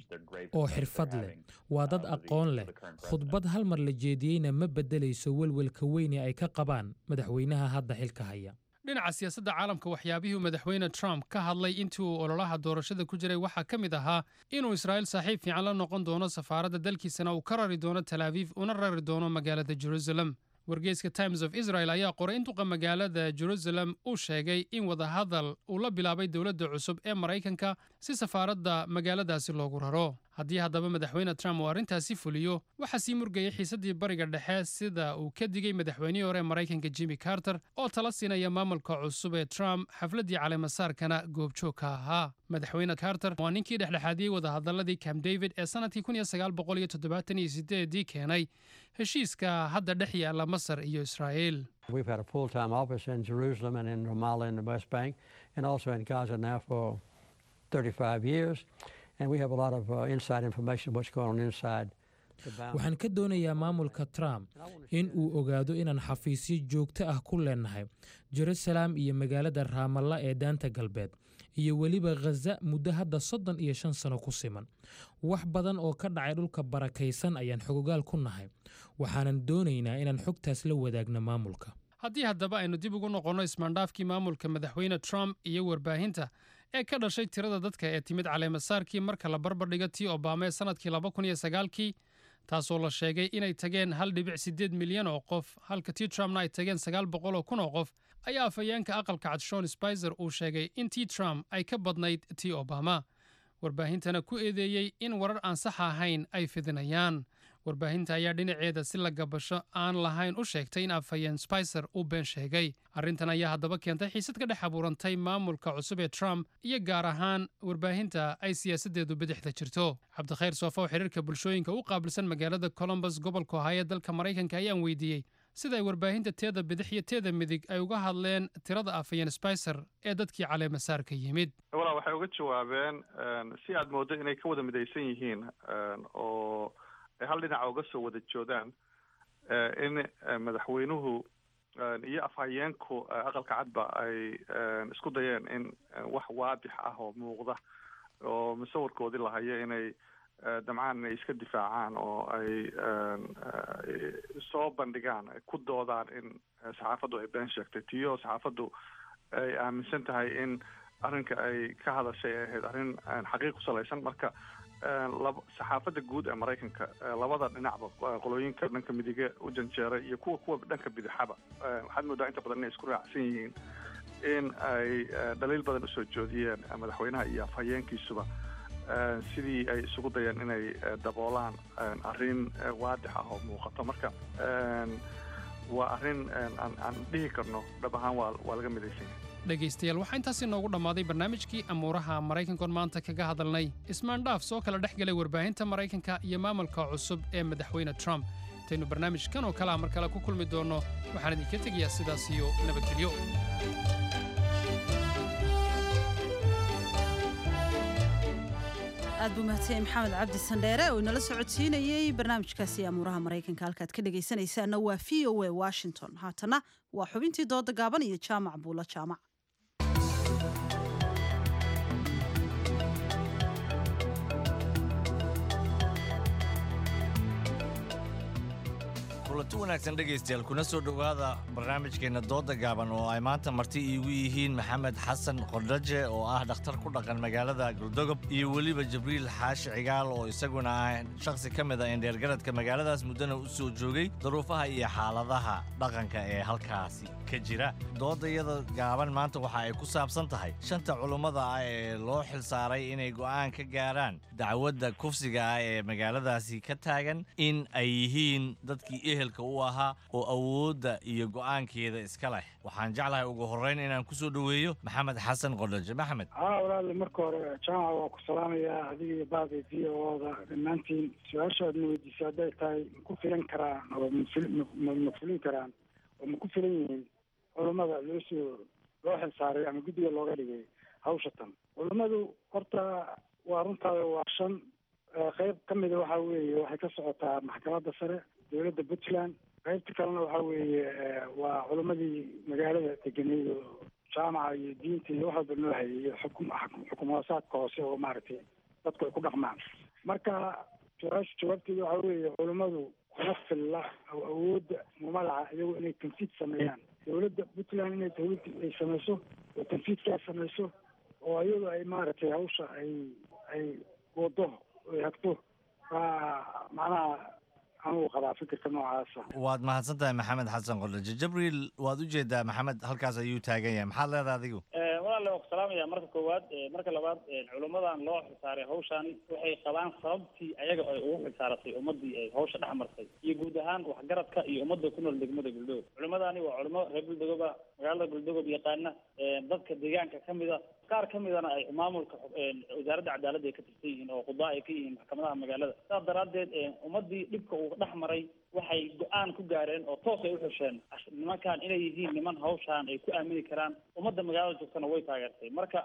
oo xirfad leh, waa dad aqoon leh. Khudbad hal mar la jeediyeyna ma beddelayso welwelka weyne ay ka qabaan madaxweynaha hadda xilka haya. Dhinaca siyaasadda caalamka, waxyaabihii madaxweyne Trump ka hadlay intii uu ololaha doorashada ku jiray waxaa ka mid ahaa inuu Israa'iil saaxiib fiican la noqon doono, safaaradda dalkiisana uu ka rari doono Tel Aviv una rari doono magaalada Jerusalem. Wargeyska Times of Israel ayaa qoray in duqa magaalada Jerusalem uu sheegay in wadahadal uu la bilaabay dowladda cusub ee Maraykanka si safaaradda magaaladaasi loogu raro. Haddii haddaba madaxweyne Trump uu arrintaasi fuliyo, waxaa sii murgayay xiisaddii Bariga Dhexe, sida uu ka digay madaxweynihii hore ee Maraykanka Jimmy Carter oo tala siinaya maamulka cusub ee Trump, xafladdii caleemasaarkana goobjoog ka ahaa. Madaxweyne Carter waa ninkii dhexdhexaadiyey wadahadaladii Camp David ee sanadkii kun iyo sagaal boqol iyo toddobaatan iyo sideedii keenay heshiiska hadda dhex yaalla Masar iyo Israa'iil. We've had a full-time office in Jerusalem and in Ramallah in the West Bank and also in Gaza now for thirty-five years. And we have a lot of uh, inside information what's going on inside the boundaries. Waxaan ka doonayaa maamulka Trump in uu ogaado inaan xafiisyo joogto ah ku leenahay Jerusalem iyo magaalada Raamalla ee Daanta Galbeed iyo weliba Khaza muddo hadda soddon iyo shan sano ku siman. Wax badan oo ka dhacay dhulka barakaysan ayaan xogogaal ku nahay, waxaanan doonaynaa inaan xogtaas la wadaagno maamulka. Haddii haddaba aynu dib ugu noqonno ismaandhaafkii maamulka madaxweyne Trump iyo warbaahinta ee ka dhashay tirada dadka ee timid caleemasaarkii, marka la barbardhigo tii Obama ee sanadkii laba kun iyo sagaalkii, taasoo la sheegay inay tageen hal dhibic sideed milyan oo qof, halka tii Trumpna ay tageen sagaal boqol oo kun oo qof, ayaa afhayeenka Aqalka Cad Sean Spicer uu sheegay in tii Trump ay ka badnayd tii Obama, warbaahintana ku eedeeyey in warar aan sax ahayn ay fidinayaan. Warbaahinta ayaa dhinaceeda si lagabasho aan lahayn u sheegtay in afhayeen Spicer uu been sheegay. Arrintan ayaa haddaba keentay xiisad ka dhex abuurantay maamulka cusub ee Trump iyo gaar ahaan warbaahinta ay siyaasaddeedu bidixda jirto. Cabdikhayr Sofa oo xiriirka bulshooyinka u qaabilsan magaalada Columbus, gobolka Ohio, dalka Maraykanka, ayaan weydiiyey sida ay warbaahinta teeda bidix iyo teeda midig ay uga hadleen tirada afhayeen Spicer ee dadkii caleemasaarka yimid. Walaa, waxay uga jawaabeen si aad mooddo inay ka wada midaysan yihiin oo ay hal dhinaca uga soo wada joodaan in madaxweynuhu iyo afhayeenku Aqalka Cadba ay isku dayeen in wax waadix ah oo muuqda oo musawirkoodii lahayo inay damcaan inay iska difaacaan oo ay soo bandhigaan, ay ku doodaan in saxaafaddu ay been sheegtay, tiyo saxaafaddu ay aaminsan tahay in arrinka ay ka hadashay ay ahayd arrin xaqiiq ku salaysan. Marka lab saxaafadda guud ee Maraykanka, labada dhinacba, qolooyinka dhanka midige u janjeeray iyo kuwa kuwa dhanka bidixaba, waxaad moodaa inta badan inay isku raacsan yihiin in ay dhaliil badan usoo joodiyeen madaxweynaha iyo afhayeenkiisuba sidii ay isugu dayeen inay daboolaan arrin waadix ah oo muuqato. Marka waa arrin aan aan dhihi karno dhab ahaan waa waa laga midaysan yahay. Dhegaystayaal, waxaa intaasi noogu dhammaaday barnaamijkii amuuraha Maraykankoon maanta kaga hadalnay ismaandhaaf soo kala dhex galay warbaahinta Maraykanka iyo maamulka cusub ee madaxweyne Trump. Intaynu barnaamijkan oo kalea mar kale ku kulmi doonno, waxaan idinka tegayaa sidaas iyo nabadgelyo. Aad buu mahadsan Maxamed Cabdi Sandheere oo inala socodsiinayey barnaamijkaasi amuuraha Maraykanka. Halkaad ka dhegaysanaysaana waa V O A Washington. Haatana waa xubintii dooda gaaban iyo Jaamac Buulo Jaamac. Kulanti wanaagsan dhegaystayaal, kuna soo dhowaada barnaamijkeenna dooda gaaban oo ay maanta marti iigu yihiin Maxamed Xasan Qordhaje oo ah dhakhtar ku dhaqan magaalada Galdogob iyo weliba Jibriil Xaashi Cigaal oo isaguna ah shakhsi ka mid a indheergaradka magaaladaas, muddana u soo joogay duruufaha iyo xaaladaha dhaqanka ee halkaasi ka jira. Doodayada gaaban maanta waxa ay ku saabsan tahay shanta culummada ah ee loo xilsaaray inay go'aan ka gaaraan dacwadda kufsiga ah ee magaaladaasi ka taagan in ay yihiin dadkii ehelka u ahaa oo awoodda iyo go'aankeeda iska leh. Waxaan jeclahay ugu horreyn inaan ku soo dhoweeyo Maxamed Xasan Qordhaje. Maxamed. Haa walaal, marka hore Jaamaca waa ku salaamayaa, adiga iyo baada V O da dhammaantiin. Su-aasha aad na weydiisay hadday tahay ma ku filan karaan oo ma ma fulin karaan oo ma ku filan yihiin culummada loo soo loo xilsaaray ama guddiga looga dhigay hawsha tan, culummadu horta waa runtaada, waa shan. Qayb ka mida waxa weeye waxay ka socotaa maxkamadda sare dowladda Puntland, qaybta kalena waxa weeye waa culimmadii magaalada degeneyd oo Jaamaca iyo diinta iyo wax walba noo hayay iyo xukum xukum hoosaadka hoose oo maaragtay dadku ay ku dhaqmaan. Marka su-aasha jawaabteeda waxaa weeye, culummadu kuma filla oo awoodda uma laha iyagu inay tanfiid sameeyaan. Dowladda Puntland inay dowladda ay samayso oo tanfiidkaas samayso oo iyadu ay maaragtay hawsha ay ay wado ay hagto baa macnaha anugu qabaa fikirka noocaasa. Waad mahadsan tahay, Maxamed Xasan Qordhaje. Jibriil, waad u jeedaa Maxamed halkaas ayuu taagan yahay. Maxaad leedahay adigu? Walaale, waa ku salaamaya marka koowaad. Marka labaad, culummadan loo xilsaaray hawshaani waxay qabaan sababtii ayaga ay ugu xilsaaratay ummadii ay hawsha dhex martay iyo guud ahaan waxgaradka iyo ummadda ku nool degmada Galdogob. Culimmadaani waa culimo reer Galdogob ah, magaalada Galdogob yaqaana, dadka deegaanka ka mid a, qaar ka midana ay maamulka wasaaradda cadaaladda ay ka tirsan yihiin oo qudaa ay ka yihiin maxkamadaha magaalada. Saas daraaddeed, ummadii dhibka uu dhex maray waxay go-aan ku gaareen oo toos ay uxusheen nimankan inay yihiin niman hawshaan ay ku aamini karaan. Ummadda magaalada joogtana way taageertay. Marka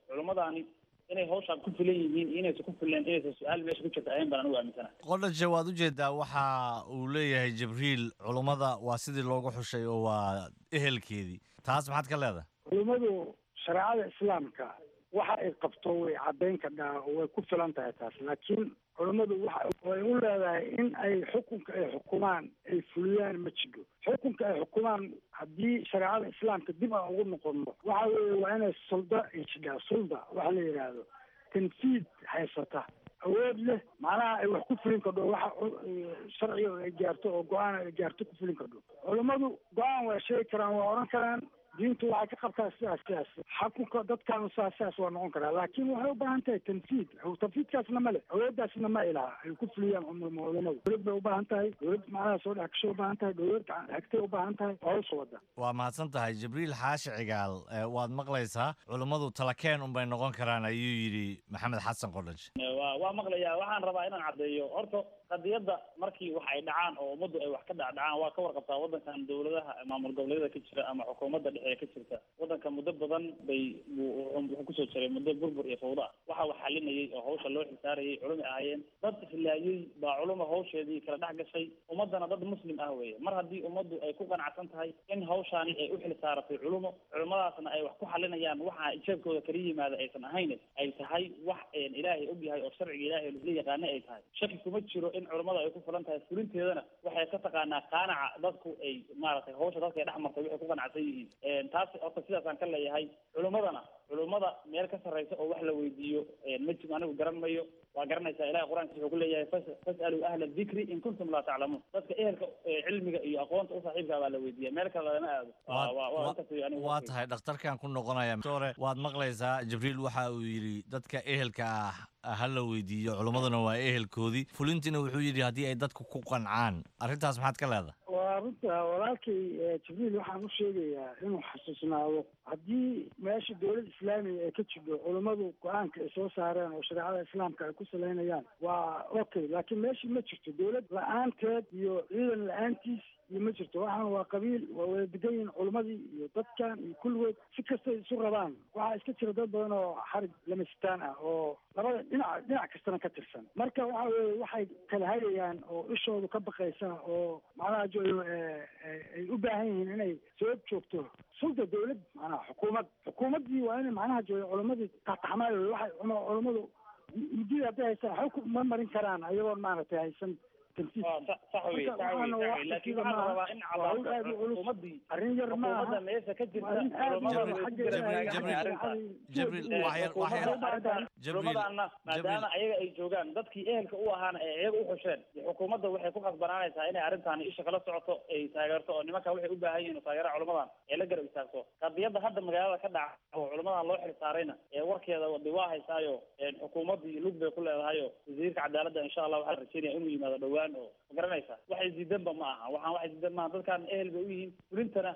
culimmadaani inay hawshaan ku filan yihiin iyo inaysan ku filleen, inaysan su-aal meesha ku jirta ahayn baan anigu aaminsana. Qordhaje, waad u jeedaa waxa uu leeyahay Jibriil, culummada waa sidii loogu xushay oo waa ehelkeedii. Taas maxaad ka leedahay? Culummadu shareecada islaamka waxa ay qabto way caddayn kadhaa oo way ku filan tahay taas, laakiin culummadu waxa ay u leedahay in ay xukunka ay xukumaan ay fuliyaan ma jiro. Xukunka ay xukumaan haddii shareecada islaamka dib aan ugu noqono, waxa weeye waa inay sulda ay jidhaa, sulda waxa la yidhaahdo tanfiid haysata, awood leh, macnaha ay wax ku fulin kardho, waxa sharciga ay gaarto oo go-aan ay gaarto ku fulin kardho. Culummadu go-aan waa sheegi karaan, waa odhan karaan diintu waxay ka qabtaa sidaas sidaas, xukunka dadkaanu sidaas sidaas waa noqon karaa, laakiin waxay u baahan tahay tanfiid. Tanfiidkaasna ma leh, awooddaasna ma ilaha ay ku fuliyaan culamadu. Dowlad bay u baahan tahay, dowlad macnaha soo dhex gasho u baahan tahay, dowlad hagtay u baahan tahay oo hawsha wada. Waa mahadsan tahay, Jibriil Xaashi Cigaal. Waad maqlaysaa, culummadu talakeen unbay noqon karaan ayuu yidhi Maxamed Xasan Qordhaje. Waa waa maqlayaa. Waxaan rabaa inaan caddeeyo horta qadiyadda markii wax ay dhacaan oo ummaddu ay wax ka dhacdhacaan, waa ka warqabtaa waddankan dowladaha maamul goboleedyada ka jira ama xukuumadda dhexe ee ka jirta waddanka muddo badan bay wuxuu kusoo jiray muddo burbur iyo fawda ah. Waxa wax xalinayay oo hawsha loo xilsaarayay culumi ahaayeen. Dad islaayay baa culuma hawsheedii kala dhex gashay, ummaddana dad muslim ah weeye. Mar haddii ummaddu ay ku qanacsan tahay in hawshaani ay u xilsaaratay culumo, culummadaasna ay wax ku xalinayaan, waxa jeebkooda kala yimaada aysan ahayn, ay tahay wax Ilaahay og yahay oo sharciga Ilaahay la yaqaana ay tahay, shaki kuma jiro in culummada ay ku fulan tahay. Fulinteedana waxay ka taqaanaa qaanaca dadku ay maaragtay hawsha dadka ay dhex martay waxay ku qanacsan yihiin. Taas horta sidaasaan ka leeyahay. Culummadana culummada meel ka sarreysa oo wax la weydiiyo ma jiro, anigu garan mayo. Waa garanaysaa, Ilahay qur-aankiisa wuxuu ku leeyahay fas'aluu ahla dikri in kuntum laa taclamuun. Dadka ehelka cilmiga iyo aqoonta u saaxiibkaa baa la weydiiya, meel kale lama aado. Waa tahay, dhakhtarkan ku noqonaya. Doctore, waad maqlaysaa Jibriil waxa uu yidhi dadka ehelka ah ha la weydiiyo, culummaduna waa ehelkoodii, fulintiina wuxuu yidhi haddii ay dadku ku qancaan. Arrintaas maxaad ka leedahay? Waa runta walaalkay Jibriil. Waxaan u sheegayaa inuu xasuusnaado haddii meesha dowlad islaamiga ay ka jidho, culummadu go-aanka ay soo saareen oo shareecada islaamka ay ku salaynayaan waa okay, laakiin meeshii ma jirto dowlad la-aanteed iyo ciidan la-aantiis iyo ma jirto. Waxaan waa qabiil, waa wada degan yihiin culummadii iyo dadkan iyo kulligood si kastay isu rabaan. Waxaa iska jira dad badan oo xarig lamasitaan ah oo labada dhinac dhinac kastana ka tirsan. Marka waxa weeye waxay kala hayayaan oo ishoodu ka baqaysa oo macnaha jo ay u baahan yihiin inay soo joogto sulda dowlad, macnaha xukuumad. Xukuumaddii waa inay macnaha jooga culammadii taxmaay. Waxay culummadu muddada hadday haystaan waxba ma marin karaan ayagoon maaragtay haysan. Sax wey, sax wey, sax wey, laakiin waxaa la rabaa in cadaato xukuumaddii arrin yar maaha, xukuumadda meesha ka jirta culummada way ku garabtaaganahay, maadaama ayaga ay joogaan dadkii ehelka u ahaana ee iyaga u xusheen. Xukuumadda waxay ku khasbanaanaysaa inay arrintaani isha kala socoto, ay taageerto oo nimanka waxay u baahan yihiin oo taageera culummadan ay la garab istaagto. Qadiyadda hadda magaalada ka dhaca oo culummadan loo xil saarayna ee warkeeda de waa haysaayo, xukuumaddii lug bay ku leedahayo. Wasiirka cadaaladda insha Allah waxaa la rajeynaya inuu yimaado dhowaan oo ma garanaysaa. Waxay diidanba ma aha, waxaan waxay diidan maaha, dadkan ehel bay u yihiin. Fulintana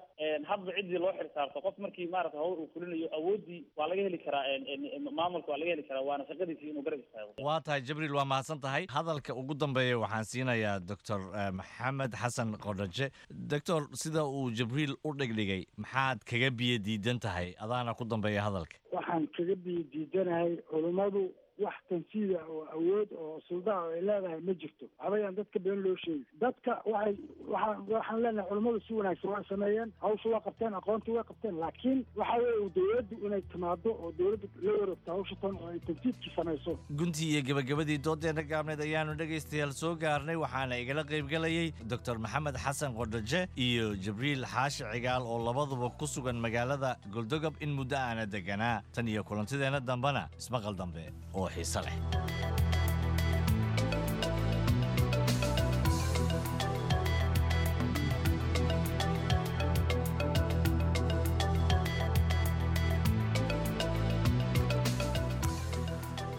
hadba ciddii loo xil saarto, qof markii maarata hawl uu fulinayo awooddii waa laga heli karaa, maamulka waa laga heli karaa, waana shaqadiisii inuu garab istaago. Waa tahay Jibriil, waa mahadsan tahay. Hadalka ugu dambeeya waxaan siinayaa Doctor Maxamed Xasan Qordhaje. Doctor, sida uu Jibriil u dhigdhigay maxaad kaga biyo diidan tahay? Adaana ku dambeeya hadalka. Waxaan kaga biyo diidanahay culummadu Wax tanfiida oo awood oo suldaha oo ay leedahay ma jirto. Waxbayaan dadka been loo sheegi. Dadka waxay waxaan waxaan leenahay culummadu si wanaagsan waa sameeyeen, hawsha waa qabteen, aqoontii waa qabteen, laakiin waxa weeye dowladdu inay timaado oo dowladdu la wareegto hawsha tan oo ay tanfiidkii samayso. Guntii iyo gabagabadii doodeenna gaabneed ayaanu dhegaystayaal soo gaarnay, waxaana igala qaybgalayay Doctor Maxamed Xasan Qodhaje iyo Jibriil Xaashi Cigaal oo labaduba ku sugan magaalada Goldogob in muddo aana deganaa. Tan iyo kulantideenna dambena, ismaqal dambe oo xiise leh.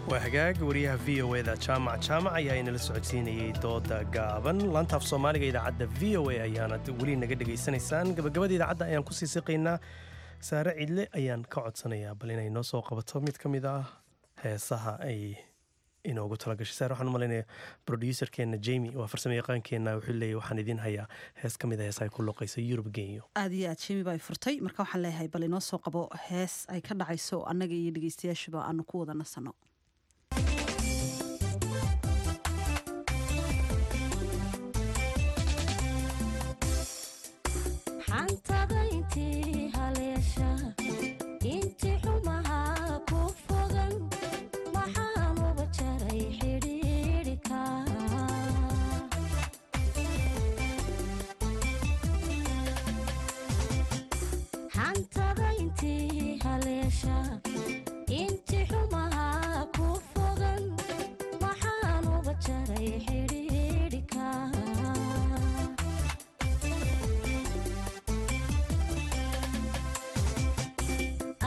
Waa hagaag. Wariyaha V O eda Jaamac Jaamac ayaa inala socodsiinayay dooda gaaban. Laantaaf Soomaaliga idaacadda V O A ayaanad weli naga dhegaysanaysaan. Gabagabada idaacadda ayaan kusii siqaynaa. Saare Cidle ayaan ka codsanayaa bal inay noo soo qabato mid ka mid ah heesaha ay inoogu talagashay. Saare, waxaan u malaynaya producerkeena Jamie, waa farsamo yaqaankeenna, wuxuu leeyahy waxaan idiin hayaa hees ka mid a heesaha ay ku luqayso Yurub Genyo. Aad iyo aad, Jimi baa furtay. Marka waxaan leeyahay bal inoo soo qabo hees ay ka dhacayso, annaga iyo dhegeystayaashuba aanu ku wada nasano. Xantada intii haleesha, intii xumaha ku fogan, maxaan uba jaray xidhiidhika? Xantada intii haleesha, intii xumaha ku fogan, maxaan uba jaray xidhiidhika?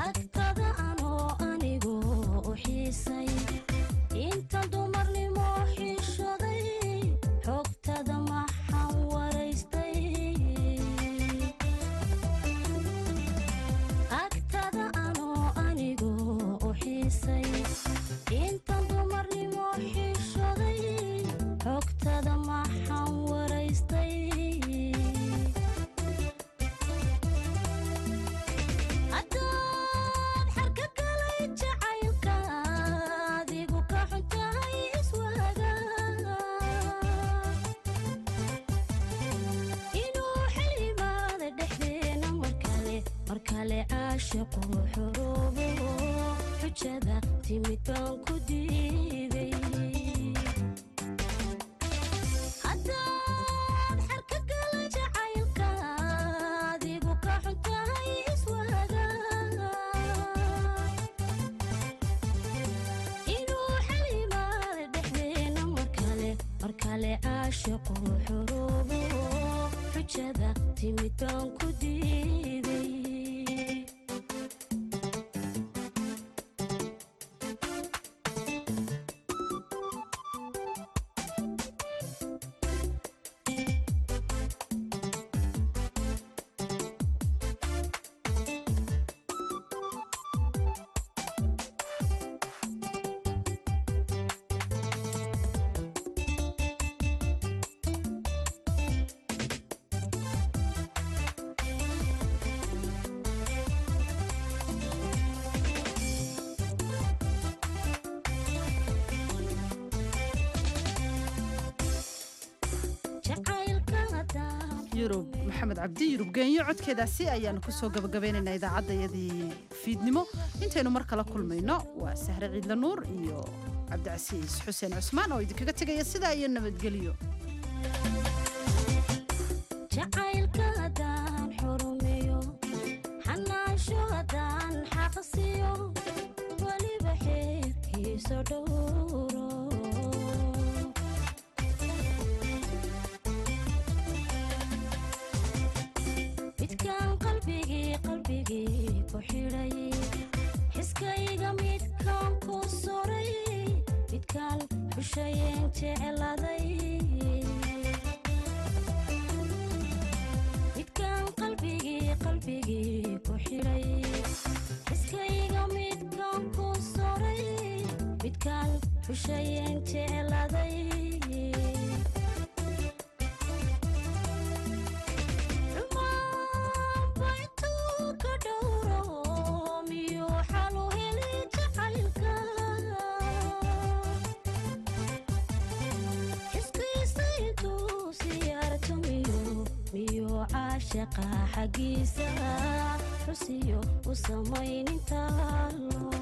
Agtada anoo anigu u xiisay, inta dumarnimo xishoday, xogtada maxaan waraystay? Agtada anoo anigu u xiisay, inta dumarnimo xishoday, xogtada maxaan waraystay? Haddaad xarka kalay jacaylka, adigu ka xuntahay iswaaga, inuu xil yimaada dhexdeena markale, markale caashiqu xuruubo, xujada timid baan ku diiday. Haddaad xarka kalay jacaylka, adigu ka xuntahay iswaaga, inuu xal yimaada dhexdeena markale, markale caashiqu xuruubo, xujada timid baan ku diiday. Jacaylka haddaan Yurub Maxamed Cabdi, Yurub Geenyo, codkeedaasi ayaanu kusoo gabagabeynaynaa idaacaddayadii fiidnimo. Intaynu mar kala kulmayno, waa Sahre Ciidla Nuur iyo Cabdicasiis Xuseen Cusmaan oo idinkaga tegaya sidaa iyo nabadgelyo. Jacaylka haddaan xurumeeyo, xanaansho haddaan xaqsiyo, weliba xeerkiisa dhowro. Midkaan qalbigii qalbigii ku xidhay, xiskayga midkaan ku suray, midkaan xushayeen jecladay, midkaan qalbigii qalbigii ku xidhay, xiskayga midkaan ku suray, midkaan xushayeen jecladay. Xumaanba intuu ka dhowro miyuu xal u heli jacaylka? Caashaqa xaggiisa xusiyo u samaynin taalo.